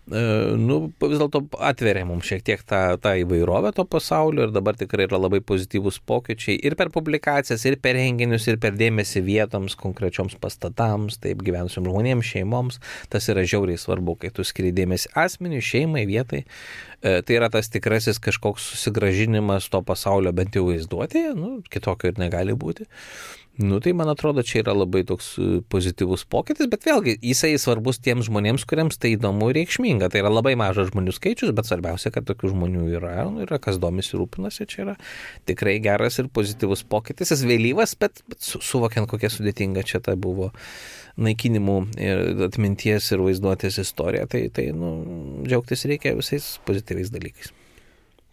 Nu, vis dėlto atveria mums šiek tiek tą, tą įvairovę to pasaulio ir dabar tikrai yra labai pozityvūs pokyčiai ir per publikacijas, ir per renginius, ir per dėmesį vietoms, konkrečioms pastatams, taip gyvenusiam žmonėms, šeimoms. Tas yra žiauriai svarbu, kai tu skiri dėmesį asmeniui, šeimai, vietai. Tai yra tas tikrasis kažkoks susigražinimas to pasaulio bent jau vaizduotėje, nu, kitokio ir negali būti. Nu, tai man atrodo, čia yra labai toks pozityvus pokytis, bet vėlgi jisai svarbus tiems žmonėms, kuriems tai įdomu ir reikšminga. Tai yra labai mažas žmonių skaičius, bet svarbiausia, kad tokių žmonių yra, yra kas domisi rūpinasi, čia yra tikrai geras ir pozityvus pokytis. Jis vėlyvas, bet, bet su, suvokiant, kokia sudėtinga čia ta buvo naikinimų ir atminties ir vaizduotės istorija, tai, tai nu, džiaugtis reikia visais pozityviais dalykais.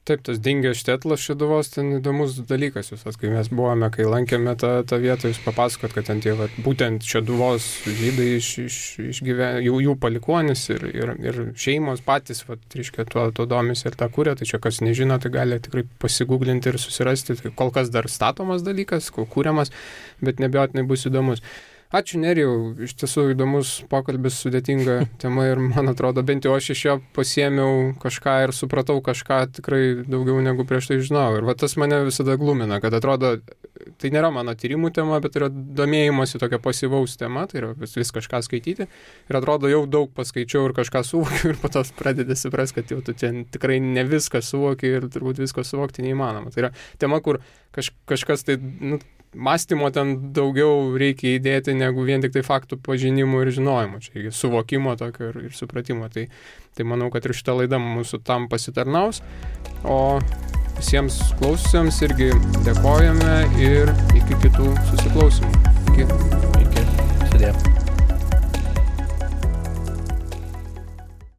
Taip, tas dingęs Štetlas Šeduvos, ten įdomus dalykas visas, kai mes buvome, kai lankėme tą, tą vietą, jūs papasakot, kad ten tie, va, būtent Šeduvos žydai iš, iš, išgyven, jų, jų palikuonis ir, ir, ir šeimos patys, va, reiškia, tuo, tuo domisi ir tą kūrė, tai čia kas nežino, tai gali tikrai pasigūglinti ir susirasti, tai kol kas dar statomas dalykas, kūriamas, bet nebejotinai bus įdomus. Ačiū Nerijau, iš tiesų įdomus pokalbis, sudėtinga tema ir man atrodo, bent jau aš iš jo pasiėmiau kažką ir supratau kažką tikrai daugiau negu prieš tai žinojau. Ir va tas mane visada glumina, kad atrodo, tai nėra mano tyrimų tema, bet yra domėjimosi tokia pasyvaus tema, tai yra vis, vis kažką skaityti. Ir atrodo, jau daug paskaičiau ir kažką suvokiu ir po to pradedi suprasti, kad jau tu ten tikrai ne viską suvoki ir turbūt visko suvokti neįmanoma. Tai yra tema, kur kaž, kažkas tai... Nu, mąstymo ten daugiau reikia įdėti negu vien tik tai faktų pažinimų ir žinojimo, čia suvokimo tokio ir, ir supratimo. Tai, tai manau, kad ir šitą laidą mūsų tam pasitarnaus. O visiems klaususiems irgi dėkojame ir iki kitų susiklausimų. Iki. Iki. Sudė.